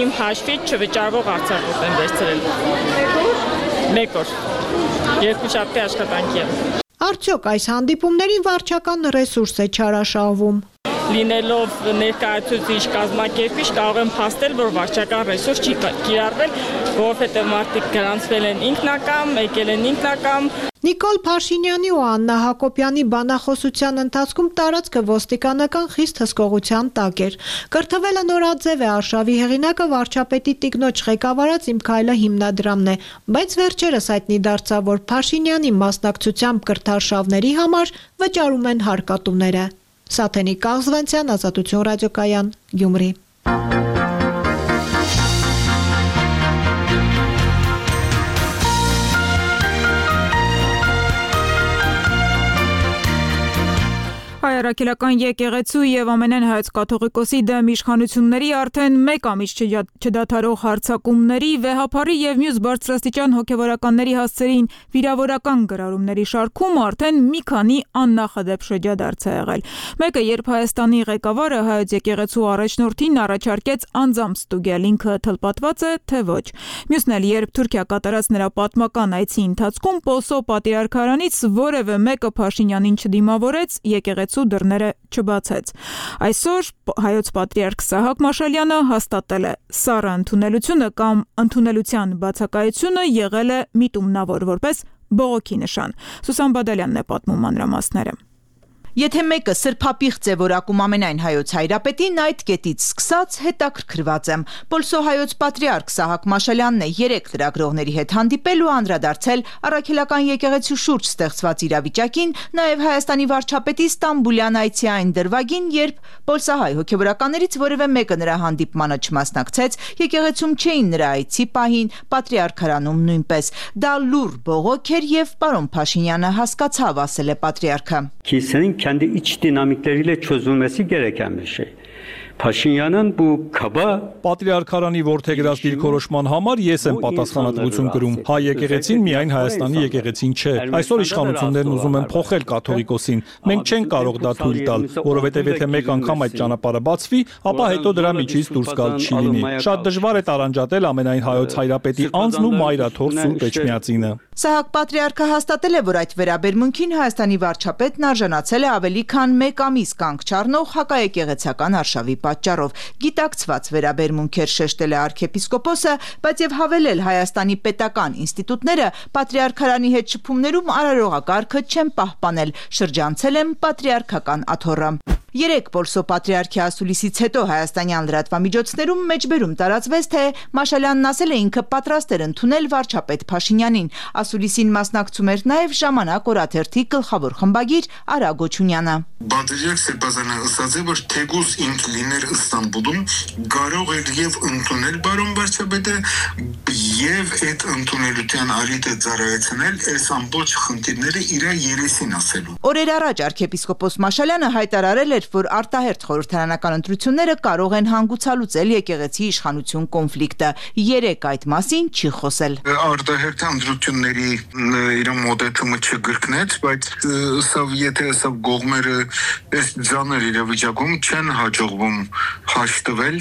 իմ հաշվից չվճարվող արձակուրդ եմ վերցրել։ Մեկ օր։ Երկու շաբթի աշխատանքի եմ։ Արդյոք այս հանդիպումներին վարչական ռեսուրս է չարաշահվում։ լինելով ներկայացուցիչ կազմակերպիչ կարող եմ փաստել, որ վարչական ռեսուրս չի կիրառվել, որովհետև մարդիկ գրանցվել են ինքնակամ, եկել են ինքնակամ։ Նիկոլ Փաշինյանի ու Աննա Հակոբյանի բանախոսության ընթացքում տարածքը ոստիկանական խիստ հսկողության տակ էր։ Կրթվելը նորաձև է, արշավի հեղինակը վարչապետի տիկնոջ ղեկավարած Իմ քայլը հիմնադրամն է, բայց վերջերս հայտնի դարձավ, որ Փաշինյանի մասնակցությամբ կրթարշավների համար վճարում են հարկատուները։ Սաթենիկ Կաղզվանցյան, Ազատություն ռադիոկայան, Գյումրի։ Հայ-առաքելական եկեղեցու եւ ամենայն հայոց կաթողիկոսի դեմ իշխանությունների արդեն մեկ ամիս չդադարող հարձակումների, վեհափարի եւ մյուս բարձրաստիճան հոգեվորականների հասցերին վիրավորական գրառումների շարքում արդեն մի քանի աննախադեպ շրջադարձ է եղել։ Մեկը, երբ Հայաստանի ղեկավարը հայոց եկեղեցու առաջնորդին առաջարկեց անձամբ ստուգել, ինքը թլպատված է, թե ոչ։ Մյուսն էլ, երբ Թուրքիա կատարած նրա պատմական այցի ընթացքում Պոլսո պատրիարքարանից որևէ մեկը Փաշինյանին չդիմավորեց, եկեղեցու դռները չբացեց։ Այսօր հայոց պատրիարք Սահակ Մաշալյանը հաստատել է, սառը ընդունելությունը կամ ընդունելության բացակայությունը եղել է միտումնավոր որպես բողոքի նշան։ Սուսան Բադալյանն է պատմում մանրամասները։ Եթե մեկը սրբապիղծ է որակում ամենայն հայոց հայրապետին, այդ կետից սկսած հետաքրքրված եմ։ Պոլսո հայոց պատրիարք Սահակ Մաշալյանն է երեք լրագրողների հետ հանդիպել ու անդրադարձել առաքելական եկեղեցու շուրջ ստեղծված իրավիճակին, նաև Հայաստանի վարչապետի Ստամբուլյան այցի այն դրվագին, երբ պոլսահայ հոգեվորականներից որևէ մեկը նրա հանդիպմանը չմասնակցեց, եկեղեցում չէին նրա այցի պահին, պատրիարքարանում նույնպես։ Դա լուռ բողոք էր եւ պարոն Փաշինյանը հասկացավ, ասել է պատրիարքը։ Kendi iç dinamikleriyle çözülmesi gereken bir şey. Փաշինյանն ու քաբա Պատրիարքարանի որդեգրած դիրքորոշման համար ես եմ պատասխանատվություն կրում։ Հայ եկեղեցին միայն Հայաստանի եկեղեցին չէ։ Այսօր իշխանություններն ուզում են փոխել կաթողիկոսին։ Մենք չենք կարող դա թույլ տալ, որովհետև եթե մեկ անգամ այդ ճանապարհը բացվի, ապա հետո դրա միջից դուրս գալ չի լինի։ Շատ դժվար է տարանջատել ամենայն հայոց հայրապետի անձն ու մայրաթոր Սուրբ Էջմիածինը։ Սահակ պատրիարքը հաստատել է, որ այդ վերաբերմունքին Հայաստանի վարչապետն արժանացել է ավելի քան մեկ ամիս կանգ չառնող հակաեկեղեցական արշավի պատճառով։ Գիտակցված վերաբերմունք էր, շեշտել է արքեպիսկոպոսը, բայց եւ հավելել Հայաստանի պետական ինստիտուտները պատրիարքարանի հետ շփումներում արարողակարգը չեն պահպանել, շրջանցել են պատրիարքական աթոռը։ Երեք Պոլսո պատրիարքի ասուլիսից հետո հայաստանյան լրատվամիջոցներում մեջբերում տարածվեց, թե Մաշալյանն ասել է ինքը պատրաստ էր ընդունել վարչապետ Փաշինյանին։ Ասուլիսին մասնակցում էր նաև Ժամանակ օրաթերթի գլխավոր խմբագիր Արա Գոչունյանը։ Պատրիարք Սերբազյանը ասաց է, որ թեկուզ ինք լիներ Ստամբուլում, կարող էր եւ ընդունել բարոն վարչապետը եւ այդ ընդունելության արիտը ծառայեցնել այս ամբողջ խնդիրները իր երեսին ասելու։ Օրեր առաջ arczepiskopos Մաշալյանը հայտարարել էր, որ արտահերթ խորհրդարանական ընտրությունները կարող են հանգուցալուծել եկեղեցի իշխանություն կոնֆլիկտը։ Երեք այդ մասին չի խոսել։ Արտահերթ ընտրությունների իր մոտեցումը չգրկնեց, բայց սա եթե սա գողմերը այս ձաներ իրավիճակում չեն հաջողվում հաշտվել,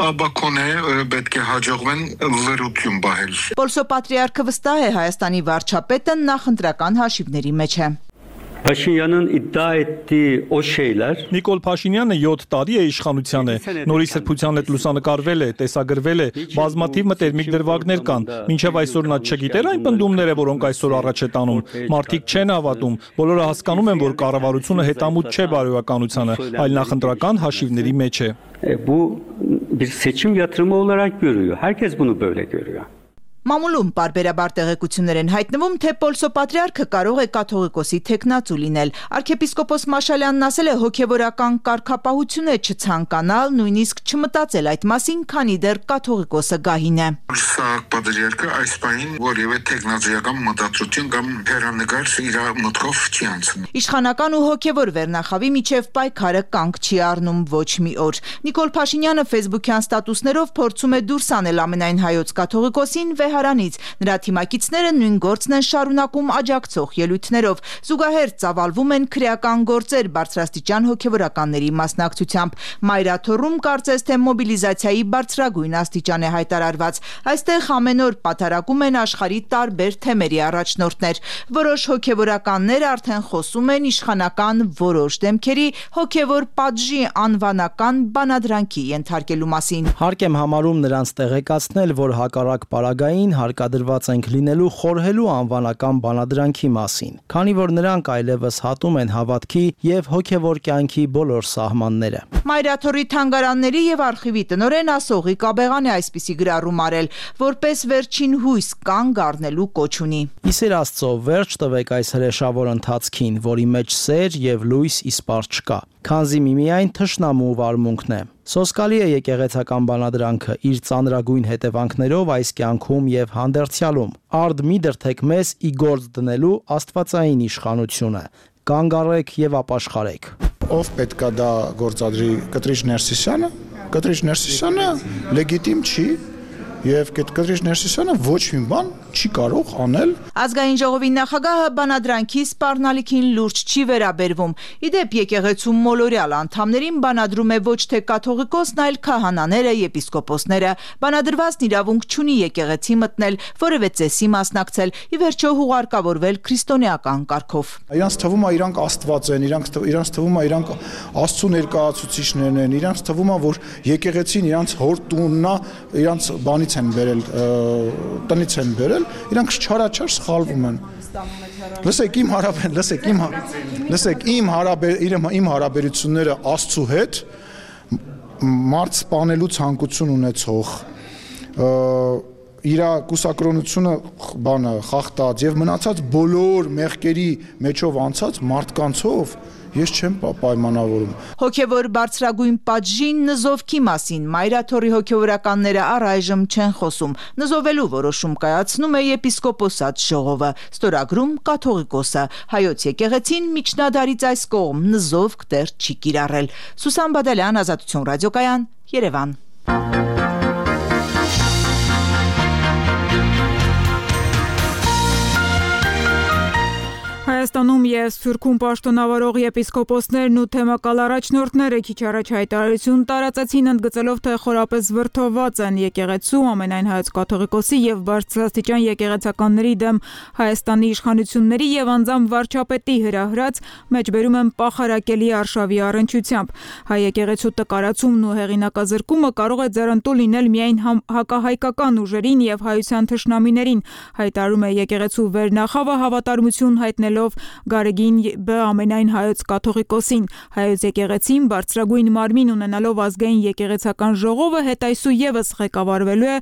ապա կոնե պետք է հաջողվեն լրություն բահել։ Պոլսո պատրիարքը վստահ է Հայաստանի վարչապետը նախընտրական հաշիվների մեջ է։ Փաշինյանն iddia ettiği o şeyler Նիկոլ Փաշինյանը յոթ տարի է իշխանության է, նորի սրբության հետ լուսանկարվել է, տեսագրվել է, բազմաթիվ մտերմիկ դրվագներ կան, մինչև այսօր նա չգիտեր այն պնդումները, որոնք այսօր առաջ է տանում, մարդիկ չեն հավատում, բոլորը հասկանում են, որ կառավարությունը հետամուտ չէ բարոյականությանը, այլ նախընտրական հաշիվների մեջ է։ Bu bir seçim yatırımı olarak görüyor. Herkes bunu böyle görüyor. Մամուլում պարբերաբար տեղեկություններ են հայտնվում, թե Պոլսո պատրիարքը կարող է կաթողիկոսի թեկնածու լինել։ Arczepiskopos Մաշալյանն ասել է հոգևորական կարգապահություն է չցանկանալ, նույնիսկ չմտածել այդ մասին, քանի դեռ կաթողիկոսը գահին է։ Սա պատրիարքը այս պահին որևէ տեխնոլոգիական մտածություն կամ հերանեկար իր մտքով չի անցնում։ Իշխանական ու հոգևոր վերնախավի միջև պայքարը կանգ չի առնում ոչ մի օր։ Նիկոլ Փաշինյանը Facebook-յան ստատուսներով փորձում է դուրս անել ամենայն հայոց կաթողիկոսին Թեհրանից։ Նրա թիմակիցները նույն գործն են շարունակում աջակցող ելույթներով։ Զուգահեռ ծավալվում են քրեական գործեր բարձրաստիճան հոգևորականների մասնակցությամբ։ Մայրաթոռում կարծես թե մոբիլիզացիայի բարձրագույն աստիճան է հայտարարված։ Այստեղ ամեն օր պատարակում են աշխարհի տարբեր թեմերի առաջնորդներ։ Որոշ հոգևորականներ արդեն խոսում են իշխանական որոշ դեմքերի հոգևոր պատժի անվանական բանադրանքի ենթարկելու մասին։ Հարկ եմ համարում նրանց տեղեկացնել, որ հակառակ պարագային հարկադրված ենք լինելու խորհելու անվանական բանադրանքի մասին, քանի որ նրանք այլևս հատում են հավատքի եւ հոգևոր կյանքի բոլոր սահմանները։ Մայրաթոռի թանգարանների եւ արխիվի տնօրեն Ասողի Կաբեղան է այսպիսի գրառում արել, որպես վերջին հույս կանգ առնելու կոչ ունի։ Իսեր Աստծո, վերջ տվեք այս հրեշավոր ընթացքին, որի մեջ սեր եւ լույս իսպար չկա, քանզի միմիայն թշնամու վարմունքն է։ Սոսկալի է եկեղեցական բանադրանքը իր ծանրագույն հետևանքներով այս կյանքում եւ հանդերձյալում։ Արդ մի դրթեք մեզ ի գործ դնելու աստվածային իշխանությունը։ Կանգ առեք եւ ապաշխարեք։ Ով պետքա դա գործադրի, Կտրիչ Ներսիսյանը։ Կտրիչ Ներսիսյանը լեգիտիմ չի եւ Կտրիչ Ներսիսյանը ոչ մի բան չի կարող անել։ Ազգային ժողովի նախագահը բանադրանքի սպառնալիքին լուրջ չի վերաբերվում։ Իդեպ եկեղեցու մոլորյալ անդամներին բանադրում է ոչ թե կաթողիկոսն, այլ քահանաները, եպիսկոպոսները։ Բանադրվածն իրավունք չունի եկեղեցի մտնել, որևէ ծեսի մասնակցել, ի վերջո հուղարկավորվել քրիստոնեական կարգով։ Իրանց թվում է իրանք Աստված են, իրանք իրանց թվում է իրանք Աստծո ներկայացուցիչներն են, իրանց թվում է որ եկեղեցին իրանց հոր տունն է, իրանց բանից են բերել, տնից են բերել, իրանք չարաչար սխալվում են։ Լսեք իմ հարաբեր, լսեք իմ լսեք իմ հարաբեր իմ հարաբերությունները Աստծո հետ մարդ սպանելու ցանկություն ունեցող իր կուսակրոնությունը բանը խախտած եւ մնացած բոլոր մեղքերի մեջով անցած մարդկանցով ես չեմ պայմանավորում։ Հոգևոր բարձրագույն պատժին նզովքի մասին Մայրաթոռի հոգևորականները առայժմ չեն խոսում։ Նզովելու որոշում կայացնում է եպիսկոպոսատ ժողովը, ստորագրում կաթողիկոսը։ Հայոց եկեղեցին միջնադարից այս կողմ նզովք դեռ չի կիրառել։ Սուսան Բադալյան, Ազատություն ռադիոկայան, Երևան։ Հայաստանում եւ Սփյուռքում պաշտոնավարող եպիսկոպոսներն ու թեմակալ առաջնորդները քիչ առաջ հայտարարություն տարածեցին, ընդգծելով, թե խորապես վրդովված են եկեղեցու, ամենայն հայոց կաթողիկոսի եւ բարձրաստիճան եկեղեցականների դեմ Հայաստանի իշխանությունների եւ անձամբ վարչապետի հրահրած մեջբերում են պախարակելի արշավի առնչությամբ։ Հայ եկեղեցու տկարացումն ու հեղինակազրկումը կարող է ձեռնտու լինել միայն հակահայկական ուժերին եւ հայության թշնամիներին, հայտարարում է եկեղեցու վերնախավը հավատարմություն հայտնելով Գարեգին Բ. ամենայն հայոց կաթողիկոսին։ Հայոց եկեղեցին բարձրագույն մարմին ունենալով ազգային եկեղեցական ժողովը հետայսու եւս ղեկավարվելու է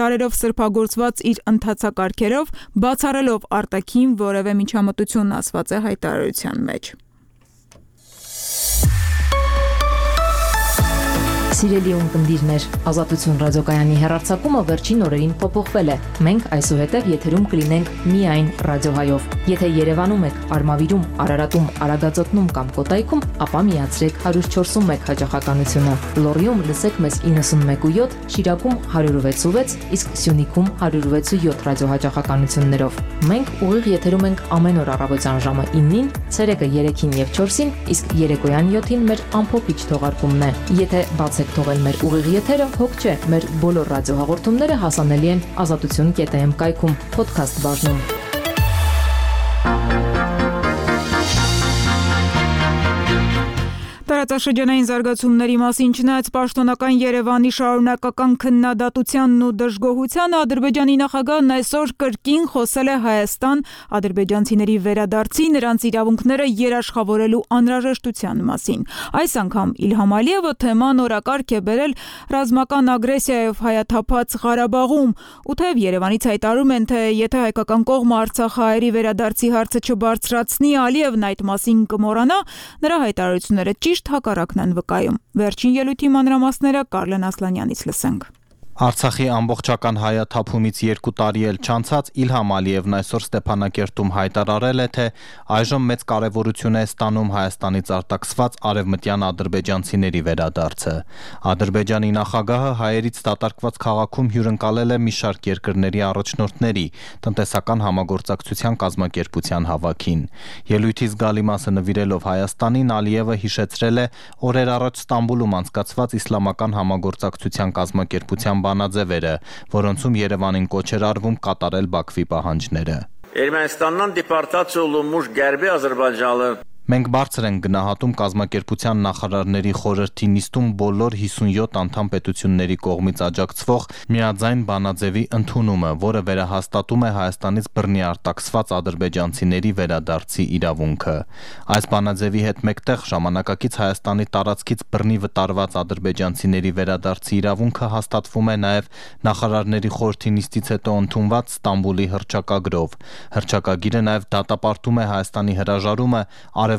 դարերով սրբագործված իր ընթացակարգերով, բացառելով արտաքին որևէ միջամտություն, ասված է հայտարարության մեջ։ Սիրելի ունկնդիրներ, Ազատություն ռադիոկայանի հեռարձակումը վերջին օրերին փոփոխվել է։ Մենք այսուհետև եթերում կլինենք միայն ռադիոհայով։ Եթե Երևանում եք, Արմավիրում, Արարատում, Արագածոտնում կամ Կոտայքում, ապա միացրեք one oh four one հաճախականությունը։ Լոռիում լսեք մեզ ninety-one point seven, Շիրակում one oh six point six, իսկ Սյունիքում one oh six point seven ռադիոհաճախականություններով։ Մենք ուղիղ եթերում ենք ամեն օր առավոտյան ժամը nine-ին, ցերեկը three-ին եւ four-ին, իսկ երեկոյան seven-ին մեր ամփոփիչ թողարկումն է։ Եթե բացեք թողել մեր ուղիղ եթերը, հոգ չէ, մեր բոլոր ռադիոհաղորդումները հասանելի են ազատություն կետ am կայքում, podcast բաժնում։ Տարածաշրջանային զարգացումների մասին չնայած պաշտոնական Երևանի շարունակական քննադատությանն ու դժգոհությանը, Ադրբեջանի նախագահն այսօր կրկին խոսել է Հայաստան ադրբեջանցիների վերադարձի, նրանց իրավունքները երաշխավորելու անհրաժեշտության մասին։ Այս անգամ Իլհամ Ալիևը թեման օրակարգ է բերել ռազմական ագրեսիայով հայաթափած Ղարաբաղում, ու թեև Երևանից հայտարարում են, թե եթե հայկական կողմը արցախահայերի վերադարձի հարցը չբարձրացնի, Ալիևն այդ մասին կմոռանա, նրա հայտարարությունները ճիշտ հակառակն են վկայում։ Վերջին ելույթի մանրամասները Կարլեն Ասլանյանից լսենք։ Արցախի ամբողջական հայաթափումից երկու տարի էլ չանցած Իլհամ Ալիևն այսօր Ստեփանակերտում հայտարարել է, թե այժմ մեծ կարևորություն է ստանում Հայաստանից արտաքսված արևմտյան ադրբեջանցիների վերադարձը։ Ադրբեջանի նախագահը հայերից դատարկված քաղաքում հյուրընկալել է մի շարք երկրների առաջնորդների տնտեսական համագործակցության կազմակերպության հավաքին։ Ելույթի զգալի մասը նվիրելով Հայաստանին, Ալիևը հիշեցրել է օրեր առաջ Ստամբուլում անցկացված իսլամական համագործակցության կազմակերպության բանաձևերը, որոնցում Երևանին կոչ էր արվում կատարել Բաքվի պահանջները։ Ermənistandan deportasiya olunmuş Qərbi Azərbaycanlı Մենք բարձր ենք գնահատում կազմակերպության նախարարների խորհրդի նիստում բոլոր հիսունյոթ անդամ պետությունների կողմից աջակցվող միաձայն բանաձևի ընդունումը, որը վերահաստատում է Հայաստանից բռնի արտաքսված ադրբեջանցիների վերադարձի իրավունքը։ Այս բանաձևի հետ մեկտեղ ժամանակակից Հայաստանի տարածքից բռնի վտարված ադրբեջանցիների վերադարձի իրավունքը հաստատվում է նաև նախարարների խորհրդի նիստից հետո ընդունված Ստամբուլի հռչակագրով։ Հռչակագիրը նաև դատապարտում է Հայաստանի հրաժարումը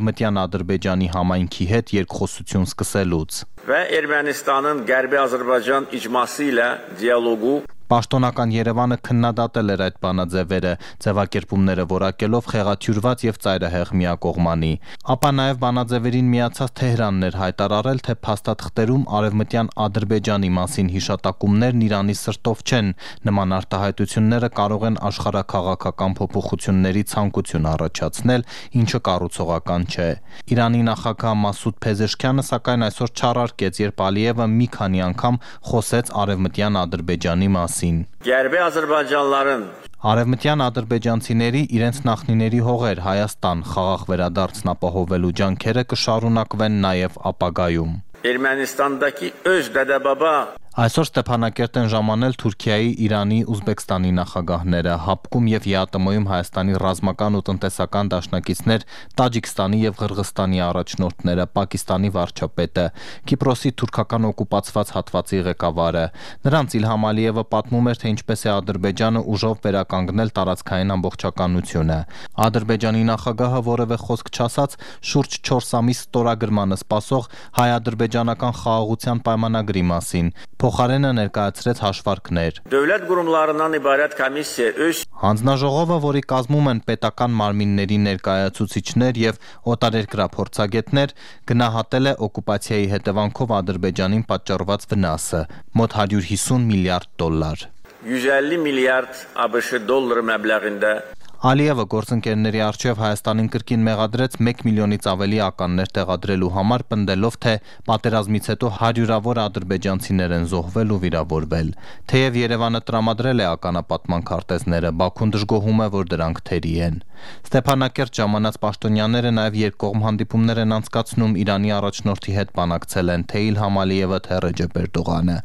Արևմտյան Ադրբեջանի համայնքի հետ երկխոսություն սկսելուց։ Və Ermənistanın Qərbi Azərbaycan icması ilə dialoqu Պաշտոնական Երևանը քննադատել էր այդ բանաձևերը, ձևակերպումները որակելով խեղաթյուրված եւ ծայրահեղ միակողմանի։ Ապա նաեւ բանաձևերին միացած Թեհրանն էր հայտարարել, թե փաստաթղթերում արևմտյան Ադրբեջանի մասին հիշատակումներն Իրանի սրտով չեն, նման արտահայտությունները կարող են աշխարհաքաղաքական փոփոխությունների ցանկություն առաջացնել, ինչը կառուցողական չէ։ Իրանի նախագահ Մասուդ Փեզեշքյանը սակայն այսօր չառարկեց, երբ Ալիևը մի քանի անգամ խոսեց արևմտյան Ադրբեջանի մասին։ Qərbi Azərbaycanlıların Արևմտյան ադրբեջանցիների իրենց նախնիների հողեր Հայաստան խաղաղ վերադարձն ապահովելու ջանքերը կշարունակվեն նաև ապագայում։ Ermənistandakı öz dədəbaba Այսօր Ստեփանակերտ են ժամանել Թուրքիայի, Իրանի, Ուզբեկստանի նախագահները, Հապկում եւ ԵԱՏՄ-ում Հայաստանի ռազմական ու տնտեսական դաշնակիցներ, Տաջիկստանի եւ Ղրղստանի առաջնորդները, Պակիստանի վարչապետը, Կիպրոսի թուրքական օկուպացված հատվածի ղեկավարը։ Նրանց Իլհամ Ալիևը պատմում էր, թե ինչպես է Ադրբեջանը ուժով վերականգնել տարածքային ամբողջականությունը։ Ադրբեջանի նախագահը որևէ խոսք չասաց շուրջ չորս ամիս ստորագրմանը սպասող հայ-ադրբեջանական խաղաղության պայմանագրի մասին։ Փոխարենը ներկայացրեց հաշվարկներ։ Dövlət qurumlarından ibarət komissiya öz Հանձնաժողովը, որի կազմում են պետական մարմինների ներկայացուցիչներ եւ օտարերկրյա փորձագետներ, գնահատել է օկուպացիայի հետևանքով Ադրբեջանին պատճառված վնասը՝ մոտ հարյուր հիսուն միլիարդ դոլար։ yüz elli milyard ABŞ դոլար məbləğində Ալիևը գործընկերների առջև Հայաստանին կրկին մեղադրեց մեկ միլիոնից ավելի ականներ տեղադրելու համար, պնդելով, թե պատերազմից հետո հարյուրավոր ադրբեջանցիներ են զոհվել ու վիրավորվել։ Թեև Երևանը տրամադրել է ականապատման քարտեզները, Բաքուն դժգոհում է, որ դրանք թերի են։ Ստեփանակերտ ժամանած պաշտոնյաները նաև երկկողմ հանդիպումներ են անցկացնում Իրանի առաջնորդի հետ բանակցել են թե Իլհամ Ալիևը, թե Ռեջեփ Էրդողանը։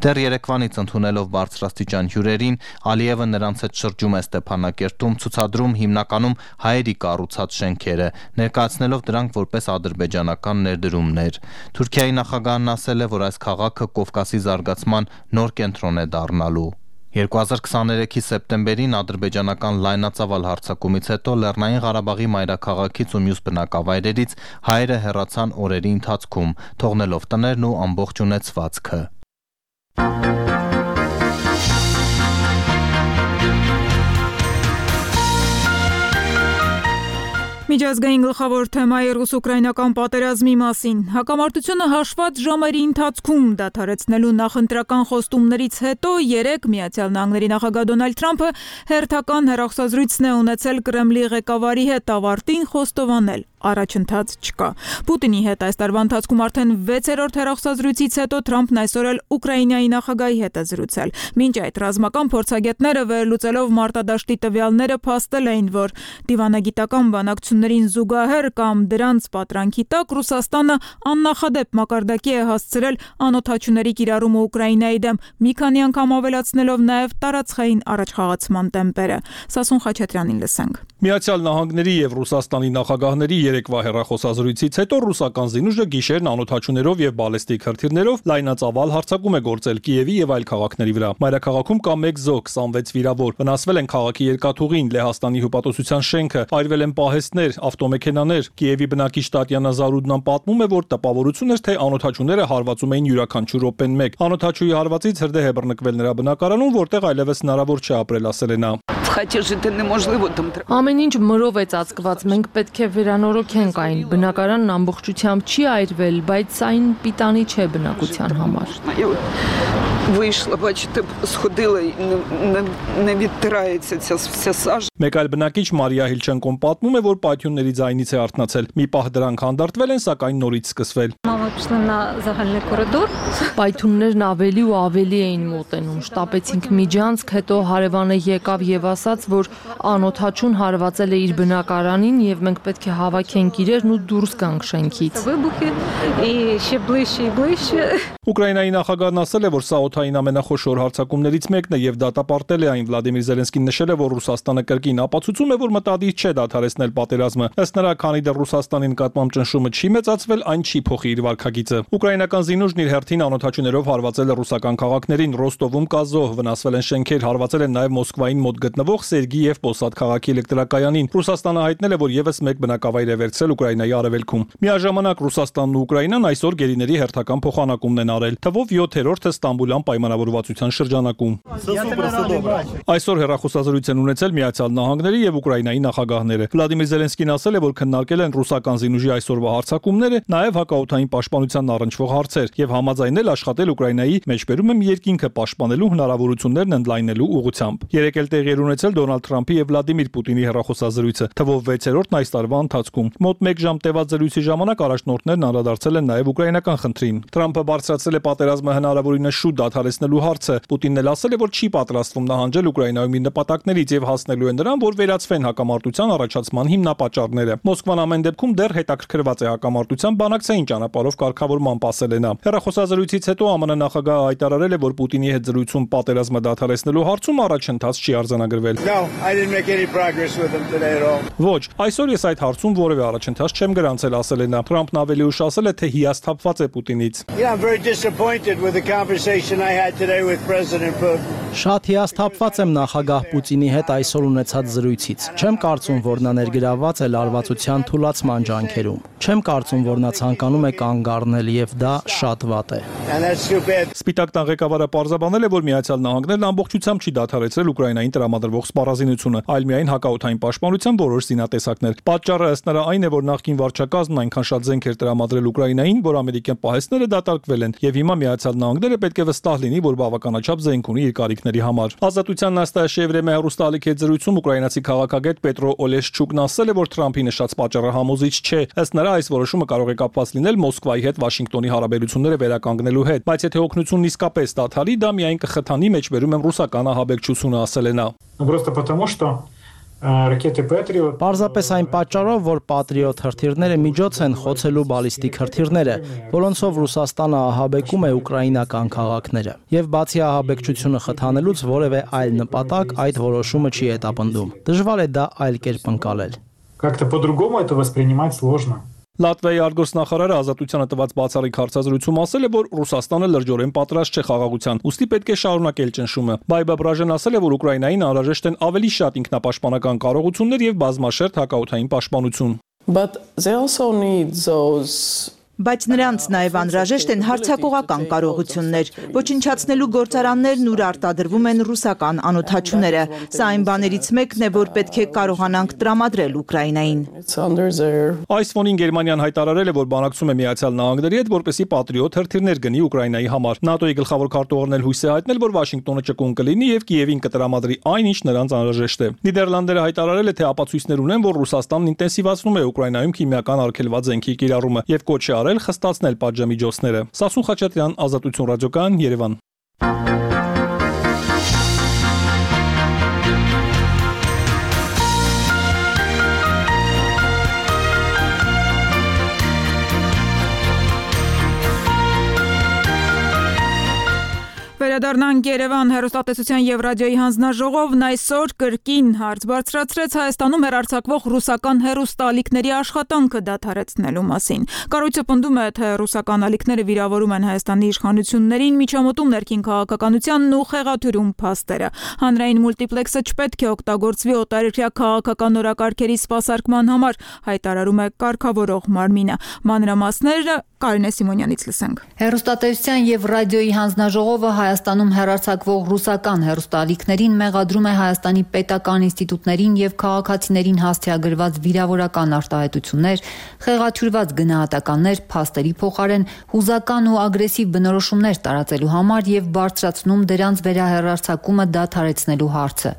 Դեռ Երևանից ընդունելով բարձրաստիճան հյուրերին, Ալիևը նրանց հետ շրջում է Ստեփանակերտում ցուցադրում հիմնականում հայերի կառուցած շենքերը, ներկայացնելով դրանք որպես ադրբեջանական ներդրումներ։ Թուրքիայի նախագահն ասել է, որ այս քաղաքը Կովկասի զարգացման նոր կենտրոն է դառնալու։ երկու հազար քսաներեքի սեպտեմբերին ադրբեջանական լայնածավալ հարձակումից հետո Լեռնային Ղարաբաղի մայրաքաղաքից ու մյուս բնակավայրերից հայերը հեռացան օրերի ընթացքում, թողնելով տներն ու ամբողջ ունեցվածքը։ Միջազգային գլխավոր թեմայի ռուս-ուկրաինական պատերազմի մասին։ Հակամարտությունը հաշված ժամերի ընթացքում դադարեցնելու նախընտրական խոստումներից հետո երեկ Միացյալ Նահանգների նախագահ Դոնալդ Թրամփը հերթական հեռախոսազրույցն է ունեցել Կրեմլի ղեկավարի հետ, ավարտին խոստովանել՝ առաջընթաց չկա։ Պուտինի հետ այս տարվա ընթացքում արդեն վեցերորդ հեռախոսազրույցից հետո Թրամփն այսօր էլ Ուկրաինայի նախագահի հետ է զրուցել։ Մինչ այդ ռազմական փորձագետները վերլուծելով մարտադաշտի տվյալները փաստել էին, որ դիվանագիտական բանակցություններին զուգահեռ կամ դրանց պատրանքի տակ Ռուսաստանը աննախադեպ մակարդակի է հասցրել անօդաչուների կիրառումը Ուկրաինայի դեմ, մի քանի անգամ ավելացնելով նաև տարածքային առաջխաղացման տեմպերը։ Սասուն Խաչատրյանին լսենք։ Միացյալ Նահանգների եւ Ռուսաստանի նախագահների երեկվա հեռախոսազրույցից հետո ռուսական զինուժը գիշերն անօդաչուներով եւ բալեստիկ հրթիռներով լայնածավալ հարձակում է գործել Կիևի եւ այլ քաղաքների վրա։ Մայրաքաղաքում կա մեկ զոհ, քսանվեց վիրավոր։ Վնասվել են քաղաքի երկաթուղին, Լեհաստանի հյուպատոսության շենքը, այրվել են պահեստներ, ավտոմեքենաներ։ Կիևի բնակիչ Տատյանա Զարուդնան պատմում է, որ տպավորություն էր, թե անօդաչուները հարվածում էին յուրաքանչյուր րոպեն մեկ։ Անօդաչուի հարվածից հրդեհ է բռնկվել նրա բնակարանում, որտեղ այլևս հնարավոր չէ ապրել, ասել է նա։ Ամեն ինչ մրով է ծածկված, մենք պետք է վերանորոգենք այն։ Բնակարանն ամբողջությամբ չի այրվել, բայց այն պիտանի չէ բնակության համար։ Մեկ այլ բնակիչ Մարիա Հիլչենկոն պատմում է, որ պայթյունների ձայնից է արթնացել։ Մի պահ դրանք հանդարտվել են, սակայն նորից սկսվել։ Պայթյուններն ավելի ու ավելի էին մոտենում։ Շտապեցինք միջանցք, հետո հարևանը եկավ եւ ասաց, որ անօդաչուն հարվածել է իր բնակարանին եւ մենք պետք է հավաքենք իրերն ու դուրս գանք շենքից։ Ուկրաինայի նախագահն ասել է, որ սա օդային ամենախոշոր հարձակումներից մեկն է եւ դատապարտել է այն։ Վլադիմիր Զելենսկին նշել է, որ Ռուսաստանը կրկին ապացուցում է, որ մտադիր չէ դադարեցնել պատերազմը։ Ըստ նրա, քանի դեռ Ռուսաստանի նկատմամբ ճնշումը չի մեծացվել, այն չի փոխի իր վարքագիծը։ Ուկրաինական զինուժն իր հերթին անօդաչուներով հարվածել է ռուսական քաղաքներին։ Ռոստովում կա զոհ, վնասվել են շենքեր, հարվածել են նաեւ Մոսկվային մոտ գտնվող Սերգի եւ Պոսադ քաղաքի էլեկտրակայանին։ Ռուսաստանը հայտնել է, որ եւս մեկ բնակավայր է վերցրել Ուկրաինայի արևելքում։ Միաժամանակ Ռուսաստանն ու Ուկրաինան այսօր գերիների հերթական փոխանակումն են արել, թվով յոթերորդը Ստամբուլյան պայմանավորվածության շրջանակում։ Այսօր հեռախոսազրույց են ունեցել Միացյալ Նահանգների եւ Ուկրաինայի նախագահները։ Վլադիմիր Զելենսկին ասել է, որ քննարկել են ռուսական զինուժի այսօրվա հարձակումները, նաեւ հակաօդային պաշտպանությանն առնչվող հարցեր եւ համաձայնել աշխատել Ուկրաինայի մեջբերում եմ երկինքը պաշտպանելու հնարավորություններն ընդլայնելու ուղղությամբ։ Երեկ էլ տեղի էր ունեցել Դոնալդ Թրամփի եւ Վլադիմիր Պուտինի հեռախոսազրույցը, թվով վեցերորդն այս տարվա ընթացքում։ Մոտ մեկ ժամ տևած զրույցի ժամանակ առաջնորդներն անդրադարձել են նաեւ ուկրաինական խնդրին։ Թրամփը բարձրացրել է պատերազմը հնարավորինս շուտ դադարեցնելու հարցը։ Պուտինն էլ ասել է, որ չի պատրաստվում նահանջել Ուկրաինայում իր նպատակներից եւ հասնելու է նրան, որ վերացվեն հակամարտության առաջացման հիմնապատճառները։ Մոսկվան ամեն դեպքում դեռ հետաքրքրված է հակամարտության բանակցային ճանապարհով կարգավորման, ասել է նա։ Հեռախոսազրույցից հետո ԱՄՆ նախագահը հայտարարել է, որ Պուտինի հետ զրույցում պատերազմը դադարեցնելու հարցում առաջընթաց չի արձանագրվել։ Ոչ, այսօր ես այդ հարցում որևէ առաջընթաց չեմ գրանցել, ասել է նա։ Թրամփն ավելի ուշ ասել է, թե հիասթափված է Պուտինից։ Շատ հիասթափված եմ նախագահ Պուտինի հետ այսօր ունեցած զրույցից։ Չեմ կարծում, որ նա ներգրավված է լարվածության թուլացման ջանքերում։ Չեմ կարծում, որ նա ցանկանում է կանգ առնել եւ դա շատ վատ է։ Սպիտակ տան ղեկավարը պարզաբանել է, որ Միացյալ Նահանգներն ամբողջությամբ չի դադարեցրել Ուկրաինային տրամադրվող սպառազինությունը, այլ միայն հակաօդային պաշտպանության որոշ զինատեսակներ։ Պատճառը ըստ նրա այն է, որ նախկին վարչակազմն այնքան շատ զենք էր տրամադրել Ուկրաինային, որ ամերիկյան պահեստները դատարկվել են եւ հիմա Միացյալ Նահանգները պետք է վստահ լինի, որ բավականաչափ զենք ունի իր կարիքների համար։ Ազատության նաստաշե Եվրեմիա հեռուստաալիքի հետ զրույցում ուկրաինացի քաղաքագետ Պետրո Օլեշչուկն ասել է, որ Թրամփի նշած պատճառը համոզիչ չէ։ Ըստ նրա այս որոշումը կարող է կապված լինել Մոսկվայի հետ Վաշինգտոնի հարաբերությունները վերականգնելու հետ, բայց եթե օգնությունն իսկապես դադարի, դա միայն կխթանի մեջբերում եմ ռուսական ահաբեկչությունը, ասել է նա։ Просто потому что ռակետը Patriot Պարզապես այն պատճառով, որ Patriot հրթիռները միջոց են խոցելու բալիստիկ հրթիռները, որոնցով Ռուսաստանը ահաբեկում է ուկրաինական քաղաքները։ Եվ բացի ահաբեկչությունը խթանելուց որևէ այլ նպատակ այդ որոշումը չի հետապնդում։ Դժվար է դա այլ կերպ ընկալել։ Как-то по-другому это воспринимать сложно. Լատվիայի արտգործնախարարը Ազատությանը տված բացառիկ հարցազրույցում ասել է, որ Ռուսաստանը լրջորեն պատրաստ չէ խաղաղության, ուստի պետք է շարունակել ճնշումը։ Բայբա Բրաժեն ասել է, որ Ուկրաինային անհրաժեշտ են ավելի շատ ինքնապաշտպանական կարողություններ եւ բազմաշերտ հակաօդային պաշտպանություն։ But they also need those Բայց նրանց նաև անհրաժեշտ են հարձակողական կարողություններ։ Ոչնչացնելու գործարաններն ուր արտադրվում են ռուսական անօդաչուները։ Սա այն բաներից մեկն է, որ պետք է կարողանանք տրամադրել Ուկրաինային։ Այս ֆոնին Գերմանիան հայտարարել է, որ բանակցում է Միացյալ Նահանգների հետ, որպեսզի Patriot հրթիռներ գնի Ուկրաինայի համար։ ՆԱՏՕ-ի գլխավոր քարտուղարն էլ հույս է հայտնել, որ Վաշինգտոնը ճկուն կլինի եւ Կիևին կտրամադրի այն, ինչ նրանց անհրաժեշտ է։ Նիդերլանդերը հայտարարել է, թե ապացույցներ ունեն, որ Ռուսաստանն ինտենսիվացնում է Ուկրաինայում քիմիական արգելված զենքի կիրառումը եւ կոչ է արել խստացնել պատժամիջոցները։ Սասուն Խաչատրյան, Ազատություն ռադիոկայան, Երևան։ Անդրադառնանք Երևան հեռուստատեսության եւ ռադիոյի հանձնաժողովն այսօր կրկին հարց բարձրացրեց Հայաստանում հեռարձակվող ռուսական հեռուստաալիքների աշխատանքը դադարեցնելու մասին։ Կառույցը պնդում է, թե ռուսական ալիքները վիրավորում են Հայաստանի իշխանություններին, միջամտում ներքին քաղաքականությանն ու խեղաթյուրում փաստերը։ Հանրային մուլտիպլեքսը չպետք է օգտագործվի օտարերկրյա քաղաքական օրակարգերի սպասարկման համար, հայտարարում է կարգավորող մարմինը։ Մանրամասները Կարինե Սիմոնյանից լսենք։ Հեռուստատեսության եւ ռադիոյի հանձնաժողովը Հայաստանում հեռարձակվող ռուսական հեռուստաալիքներին մեղադրում է Հայաստանի պետական ինստիտուտներին եւ քաղաքացիներին հաստիագրված վիրավորական արտահայտություններ, խեղաթյուրված գնահատականներ, փաստերի փոխարեն հուզական ու ագրեսիվ բնորոշումներ տարածելու համար եւ բարձրացնում դրանց վերահեռարձակումը դադարեցնելու հարցը։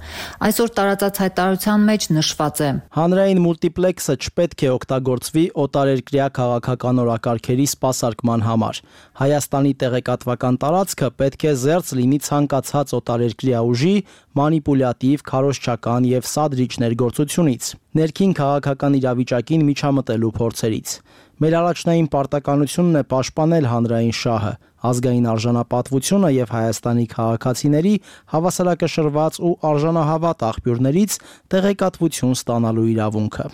Այսօր տարածած հայտարարության մեջ նշված է. Հանրային մուլտիպլեքսը չպետք է օգտագործվի օտարերկրյա քաղաքական օրակարգերի սպասարկման համար։ Հայաստանի տեղեկատվական տարածքը պետք է զերծ լինի ցանկացած օտարերկրյա ուժի, մանիպուլյատիվ, քարոզչական եւ սադրիչ ներգործությունից, ներքին քաղաքական իրավիճակին միջամտելու փորձերից։ Մեր առաջնային պարտականությունն է պաշտպանել հանրային շահը, ազգային արժանապատվությունը եւ Հայաստանի քաղաքացիների հավասարակշռված ու արժանահավատ աղբյուրներից տեղեկատվություն ստանալու իրավունքը։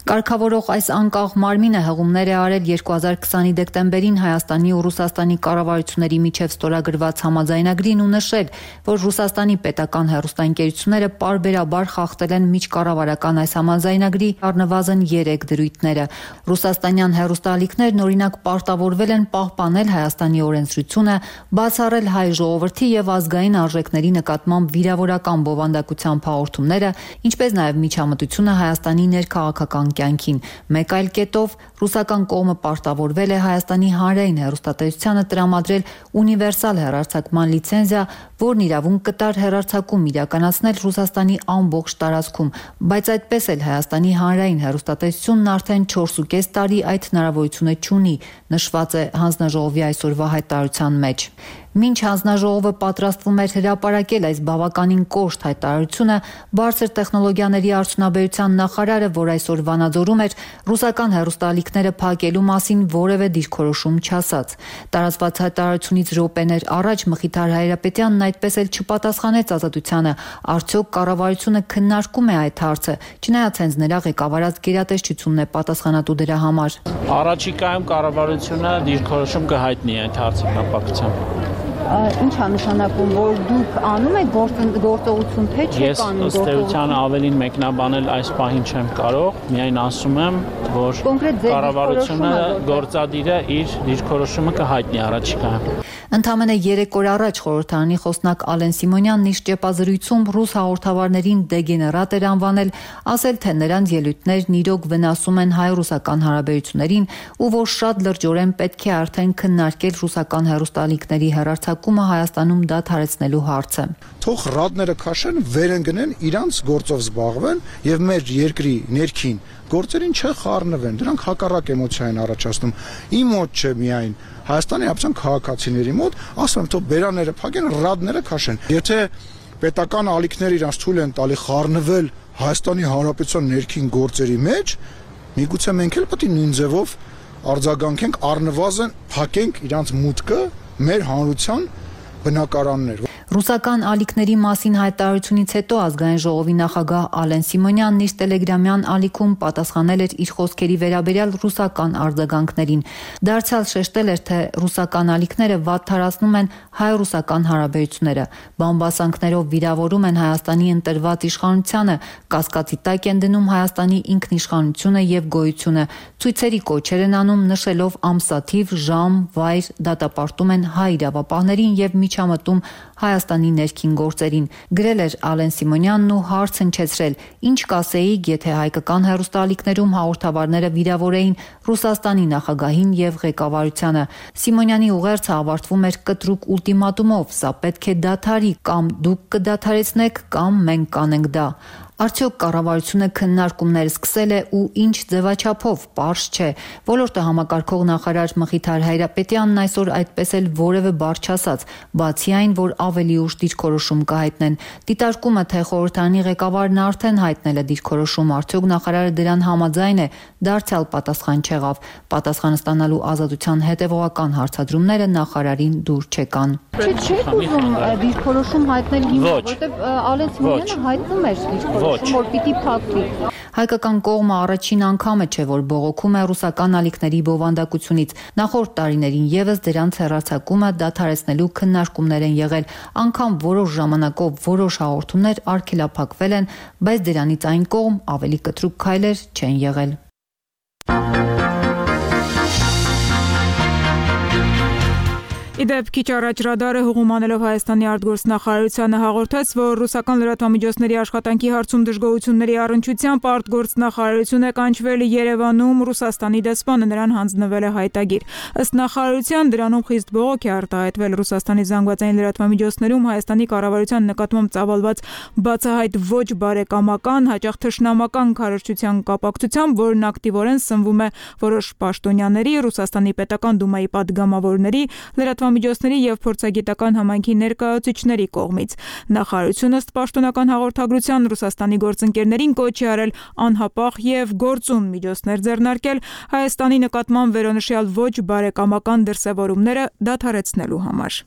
Կարգավորող այս անկախ մարմինը հղումներ է արել երկու հազար քսանի դեկտեմբերին Հայաստանի ու Ռուսաստանի կառավարությունների միջև ստորագրված համաձայնագրին ու նշել, որ Ռուսաստանի պետական հեռուստաընկերությունները պարբերաբար խախտել են միջկառավարական այս համաձայնագրի առնվազն երեք դրույթները։ Ռուսաստանյան հեռուստաալիքներն օրինակ պարտավորվել են պահպանել Հայաստանի օրենսդրությունը, բացառել հայ ժողովրդի եւ ազգային արժեքների նկատմամբ վիրավորական բովանդակության հաղորդումները, ինչպես նաեւ միջամտությունը Հայաստանի ներքաղաքական կյանքին։ Մեկ այլ կետով ռուսական կողմը պարտավորվել է Հայաստանի հանրային հեռուստատեսությանը տրամադրել ունիվերսալ հեռարձակման լիցենզիա, որն իրավունք կտար հեռարձակում իրականացնել Ռուսաստանի ամբողջ տարածքում, բայց այդպես էլ Հայաստանի հանրային հեռուստատեսությունն արդեն չորսուկես տարի այդ հնարավորությունը չունի, նշված է հանձնաժողովի այսօրվա հայտարարության մեջ։ Մինչ հանձնաժողովը պատրաստվում էր հրապարակել այս բավականին կոշտ հայտարարությունը, բարձր տեխնոլոգիաների արդյունաբերության նախարարը, որ այսօր Վանաձորում էր, ռուսական հեռուստաալիքները փակելու մասին որևէ դիրքորոշում չասաց։ Տարածված հայտարարությունից րոպեներ առաջ Մխիթար Հայրապետյանն այդպես էլ չպատասխանեց Ազատությանը, արդյոք կառավարությունը քննարկում է այդ հարցը, չնայած հենց նրա ղեկավարած գերատեսչությունն է պատասխանատու դրա համար։ Առաջիկայում կառավարությունը դիրքորոշում կհայտնի այդ հարցի կապակցությամբ։ Ինչ է նշանակում, որ դուք անում եք գործողություն, թե չեք անում գործողություն։ Ես ըստ էության ավելին մեկնաբանել այս պահին չեմ կարող, միայն ասում եմ, որ կառավարությունը գործադիրը իր դիրքորոշումը կհայտնի առաջիկայում։ Ընդամենը երեք օր առաջ խորհրդարանի խոսնակ Ալեն Սիմոնյանն իր ճեպազրույցում ռուս հաղորդավարներին դեգեներատ էր անվանել, ասել, թե նրանց ելույթներն իրոք վնասում են հայ-ռուսական հարաբերություններին ու որ շատ լրջորեն պետք է արդեն քննարկել ռուսական հեռուստաալիքների հեռարձակումը Հայաստանում դադարեցնելու հարցը։ Թող ռադները քաշեն, վերընկնեն, իրանց գործով զբաղվեն եւ մեր երկրի ներքին գործերին չխառնվեն։ Դրանք հակառակ էմոցիա են առաջացնում։ Իմ մոտ չէ միայն Հայաստանի ապցան քաղաքացիների մոտ, ասում եմ, թող բերաները փակեն, ռադները քաշեն։ Եթե պետական ալիքները իրանց թույլ են տալի խառնվել Հայաստանի Հանրապետության ներքին գործերի մեջ, միգուցե մենք էլ պետք է նույն ձևով արձագանքենք, առնվազն փակենք իրանց մուտքը մեր հանրության բնակարաններ։ Ռուսական ալիքների մասին հայտարարությունից հետո ազգային ժողովի նախագահ Ալեն Սիմոնյանն իր տելեգրամյան ալիքում պատասխանել էր իր խոսքերի վերաբերյալ ռուսական արձագանքներին։ Դարձյալ շեշտել էր, թե ռուսական ալիքները վատթարացնում են հայ-ռուսական հարաբերությունները, բամբասանքներով վիրավորում են Հայաստանի ընտրված իշխանությանը, կասկածի տակ են դնում Հայաստանի ինքնիշխանությունը եւ գոյությունը, ցույցերի կոչեր են անում, նշելով ամսաթիվ, ժամ, վայր, դատապարտում են հայ իրավապահներին եւ միջամտում Հայաստանի ներքին գործերին։ Գրել էր Ալեն Սիմոնյանն ու հարց հնչեցրել. ինչ կասեիք, եթե հայկական հեռուստաալիքներում հաղորդավարները վիրավորեին Ռուսաստանի նախագահին եւ ղեկավարությանը։ Սիմոնյանի ուղերձը ավարտվում էր կտրուկ ուլտիմատումով. սա պետք է դադարի, կամ դուք կդադարեցնեք, կամ մենք կանենք դա։ Արդյոք կառավարությունը քննարկումներ սկսել է ու ինչ ձևաչափով, պարզ չէ։ Ոլորտը համակարգող նախարար Մխիթար Հայրապետյանն այսօր այդպես էլ որևէ բառ չասաց, բացի այն, որ ավելի ուշ դիրքորոշում կհայտնեն։ Դիտարկումը, թե խորհրդարանի ղեկավարն արդեն հայտնել է դիրքորոշում, արդյոք նախարարը դրան համաձայն է, դարձյալ պատասխան չեղավ։ Պատասխանը ստանալու ազատության հետևողական հարցադրումները նախարարին դուր չեկան։ Չէ, չեք ուզում դիրքորոշում հայտնել հիմա, որտեղ Ալեն Սիմոնյանը հայտնում էր դիրքորոշում, որ պիտի փակվի։ Հայկական կողմը առաջին անգամը չէ, որ բողոքում է ռուսական ալիքների բովանդակությունից։ Նախորդ տարիներին եւս դրանց հեռարձակումը դադարեցնելու քննարկումներ են եղել, անգամ որոշ ժամանակով որոշ հաղորդումներ արգելափակվել են, բայց դրանից այն կողմ ավելի կտրուկ քայլեր չեն եղել։ Իդեպ քիչ առաջ Ռադարը հուղումանելով Հայաստանի արտգործնախարարությանը հաղորդեց, որ ռուսական լրատվամիջոցների աշխատանքի հարցում դժգոհությունների առնչությամբ արտգործնախարարություն է կանչվել Երևանում Ռուսաստանի դեսպանը, նրան հանձնվել է հայտագիր։ Ըստ նախարարության դրանում խիստ բողոք է արտահայտվել Ռուսաստանի զանգվածային լրատվամիջոցներում Հայաստանի կառավարության նկատմամբ ծավալված բացահայտ ոչ բարեկամական, հաճախ թշնամական քարոզչության կապակցությամբ, որն ակտիվորեն սնվում է որոշ պաշտոնյաների, Ռուսաստանի պետական դումայի պատգամավորների, լրատվամիջոցների եւ փորձագիտական համայնքի ներկայացուցիչների կողմից։ Նախարարությունը ըստ պաշտոնական հաղորդագրության Ռուսաստանի գործընկերներին կոչ է արել անհապաղ եւ գործուն միջոցներ ձեռնարկել Հայաստանի նկատմամբ վերոնշյալ ոչ բարեկամական դրսեւորումները դադարեցնելու համար։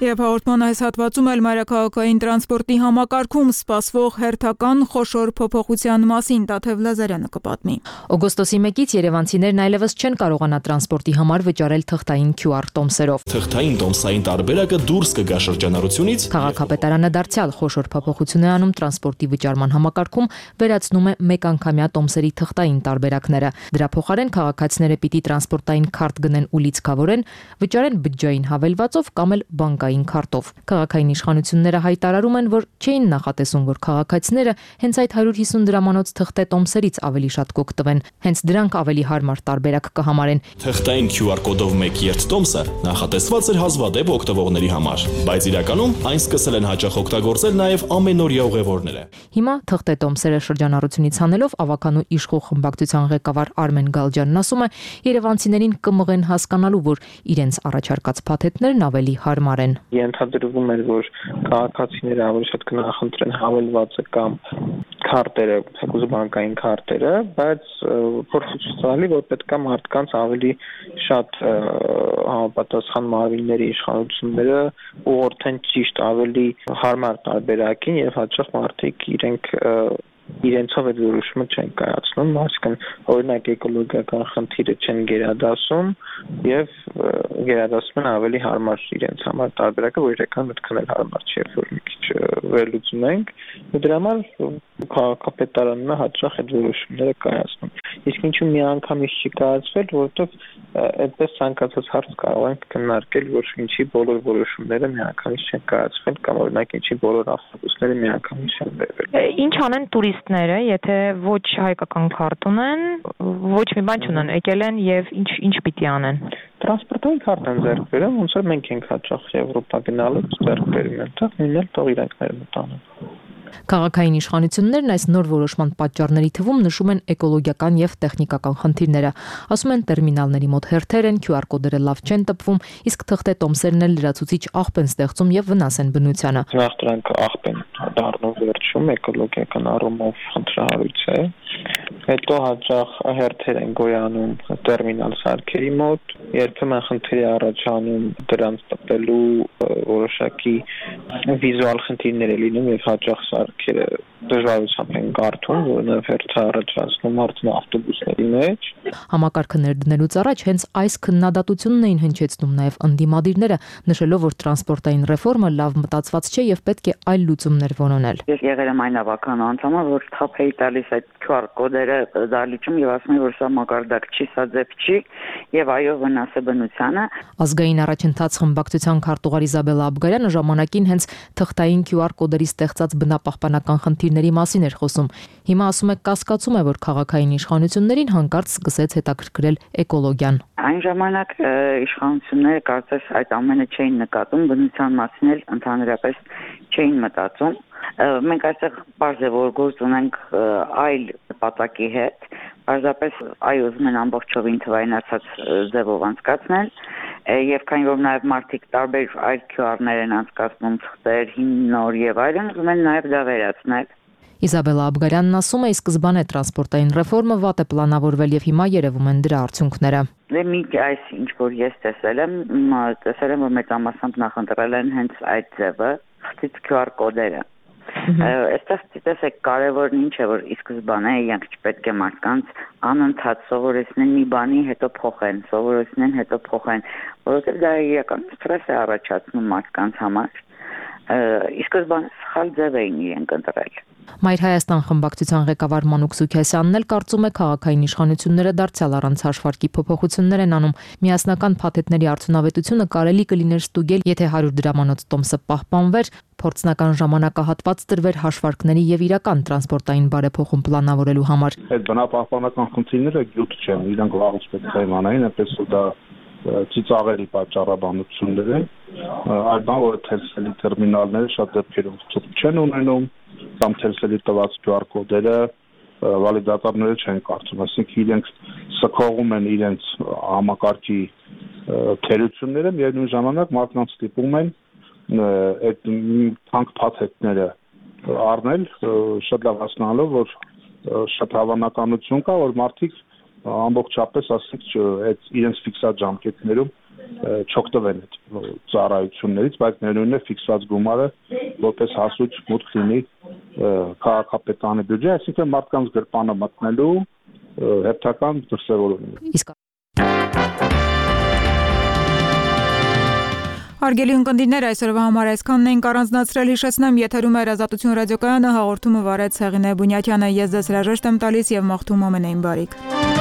Եվ հաղորդման այս հատվածում էլ մայրաքաղաքային տրանսպորտի համակարգում սպասվող հերթական խոշոր փոփոխության մասին Տաթև Լազարյանը կպատմի։ Օգոստոսի մեկից երևանցիներն այլևս չեն կարողանա տրանսպորտի համար վճարել թղթային քյու ար տոմսերով։ Թղթային տոմսային տարբերակը դուրս կգա շրջանառությունից։ Քաղաքապետարանը դարձյալ խոշոր փոփոխություն է անում տրանսպորտի վճարման համակարգում, վերացնում է մեկանգամյա տոմսերի թղթային տարբերակները։ Դրա փոխարեն քաղաքացիները պիտի տրանսպորտային քարտ գնեն ու լիցքավորեն, վճարեն բջջային հավելվածով կամ էլ բանկային քարտով։ Քաղաքային իշխանությունները հայտարարում են, որ չէին նախատեսում, որ քաղաքացիները հենց այդ հարյուր հիսուն դրամանոց թղթե տոմսերից ավելի շատ կօգտվեն, հենց դրանք ավելի հարմար տարբերակ կհամարեն։ Թղթային քյու ար կոդով մեկ երթ տոմսը նախատեսված էր հազվադեպ օգտվողների համար, բայց իրականում այն սկսել են հաճախ օգտագործել նաև ամենօրյա ուղևորները։ Հիմա թղթե տոմսերը շրջանառությունից հանելով ավականու իշխող խմբակցության ղեկավար Արմեն Գալջյանն ասում է, երևանցիներին կմղեն հասկանալու, որ իրենց առաջարկած փաթեթներն ավելի հարմար են։ Ենթադրվում էր, որ քաղաքացիները ավելի շատ կնախընտրեն հավելվածը կամ քարտերը, թեկուզ բանկային քարտերը, բայց փորձի ցուցալի, որ պետք է մարդկանց ավելի շատ համապատասխան մարմինների իշխանությունները ուղղորդեն ճիշտ ավելի հարմար տարբերակին եւ հաճախ մարդիկ իրենք իրենցով այդ որոշումը չեն կայացնում, այսինքն օրինակ էկոլոգիական խնդիրը չեն գերադասում եւ գերադասում են ավելի հարմար իրենց համար տարբերակը, որ իրական մտքն էլ հարմար չէ, որ մի քիչ վերլուծում ենք, ու դրա համար քաղաքապետարանը հաճախ այդ որոշումները կայացնում։ Իսկ ինչու մի անգամից չի կայացվել, որովհետեւ այդպես ցանկացած հարց կարող ենք քննարկել, որ ինչի բոլոր որոշումները միանգամից չեն կայացվել կամ օրինակ ինչի բոլոր ավտոբուսները միանգամից չեն բերվել։ Ինչ անեն տուրիստները, եթե ոչ հայկական քարտ ունեն, ոչ մի բան չունեն, եկել են եւ ինչ ինչ պիտի անեն։ Տրանսպորտային քարտ են ձեռք բերում, ոնց որ մենք ենք հաճախ Եվրոպա գնալուց ձեռք բերում են, դա նույնն էլ թող իրանքները մտանան։ Քաղաքային իշխանություններն այս նոր որոշման պատճառների թվում նշում են էկոլոգիական եւ տեխնիկական խնդիրները։ Ասում են տերմինալների մոտ հերթեր են, քյու ար կոդերը լավ չեն տպվում, իսկ թղթե տոմսերն էլ լրացուցիչ աղբ են ստեղծում եւ վնաս են բնությանը։ Նախ դրանք աղբ են դառնում վերջում էկոլոգիական առումով խնդրահարույց է։ Հետո հաճախ հերթեր են գոյանում տերմինալ սարքերի մոտ, երբեմն խնդիր է առաջանում դրանց տպելու որոշակի վիզուալ խնդիրներ է լինում եւ հաճախ սարքերը դժվարությամբ են կարդում, որոնով հերթը առաջացնում արդեն ավտոբուսների մեջ։ Համակարգը ներդնելուց առաջ հենց այս քննադատությունն էին հնչեցնում նաև ընդդիմադիրները, նշելով, որ տրանսպորտային ռեֆորմը լավ մտածված չէ եւ պետք է այլ լուծումներ որոնել։ Ես եղել եմ այն ավական անդամը, որ թափ էի տալիս այդ քյու ար կոդերը դալիճում եւ ասում եմ, որ սա մակարդակ չի, սա ձև չի եւ այո վնաս է բնությանը։ Ազգային առաջընթաց խմբակցության քարտուղար Իզաբելլա Աբգարյանը ժամանակին հենց թղթային քյու ար կոդերի ստեղծած բնապահպանական խնդիրների խնդիրների մասին էր խոսում։ Հիմա ասում եք կասկածում է, որ քաղաքային իշխանություններին հանկարծ սկսեց հետաքրքրել էկոլոգիան։ Այն ժամանակ իշխանությունները կարծես այդ ամենը չէին նկատում, բնության մասին էլ ընդհանրապես չէին մտածում։ Մենք այստեղ բարձր է որ գործ ունենք այլ նպատակի հետ, պարզապես այ ուզում են ամբողջովին թվայնացած ձևով անցկացնել, եւ քանի որ նաեւ մարդիկ տարբեր այլ քյու արներ են անցկացնում, թղթեր, հիմնոր եւ այլն, ուզում են նաեւ դա վերացնել։ Իսաբելա Աբգարյանն ասում է, ի սկզբանե տրանսպորտային ռեֆորմը վատ է պլանավորվել եւ հիմա երևում են դրա արդյունքները։ Դե մի այս ինչ որ ես տեսել եմ, տեսել եմ որ մեծամասամբ նախընտրել են հենց այդ ձևը, խցից քյու ար կոդերը։ Այստեղ տեսեք կարևորն ինչ է որ ի սկզբանե իրենք չպետք է մարդկանց անընդհատ սովորեցնեն մի բանի հետո փոխեն, սովորեցնեն հետո փոխեն, որովհետեւ դա իրականում սթրես է առաջացնում մարդկանց համար։ Ի սկզբանե սխալ ձև էին իրենք ընտրել։ Մայր Հայաստան խմբակցության ղեկավար Մանուկ Սուքիասյանն էլ կարծում է քաղաքային իշխանությունները դարձյալ առանց հաշվարկի փոփոխություններ են անում։ Միասնական փաթեթների արդյունավետությունը կարելի կլիներ ստուգել, եթե հարյուր դրամանոց տոմսը պահպանվեր, փորձնական ժամանակահատված տրվեր հաշվարկների եւ իրական տրանսպորտային բարեփոխում պլանավորելու համար։ Այդ բնապահպանական խնդիրները գյուտ չեն, իրանք վաղուց պետք է իմանային, այնպես որ դա ծիծաղելի պատճառաբանություններ են, այլ բան որ թերսելի տերմինալները շատ դեպքերում ցույց չեն ունենում, կամ թերսելի տված քյու ար կոդերը վալիդատորները չեն կարծում, այսինքն իրենք սքողում են իրենց համակարգի թերությունները, միևնույն ժամանակ մարդկանց ստիպում են այդ թանկ փաթեթները առնել, շատ լավ հասկանալով, որ շատ հավանականություն կա, որ մարդիկ ամբողջապես ասենք այդ իրենց ֆիքսած ժամկետներում չօգտվեն այդ ծառայություններից, բայց ներույնն է ֆիքսված գումարը որպես հասույթ մուտք լինի քաղաքապետարանի բյուջե, այսինքն մարդկանց գրպանը մտնելու հերթական դրսևորում։ Իսկ Հարգելի ունկնդիրներ, այսօրվա համար այսքանն ենք առանձնացրել, հիշեցնեմ, եթերում է Ազատություն ռադիոկայանը, հաղորդումը վարեց Հեղինե Բունյաթյանը, ես ձեզ հրաժեշտ եմ տալիս եւ մաղթում ամենայն բարիք։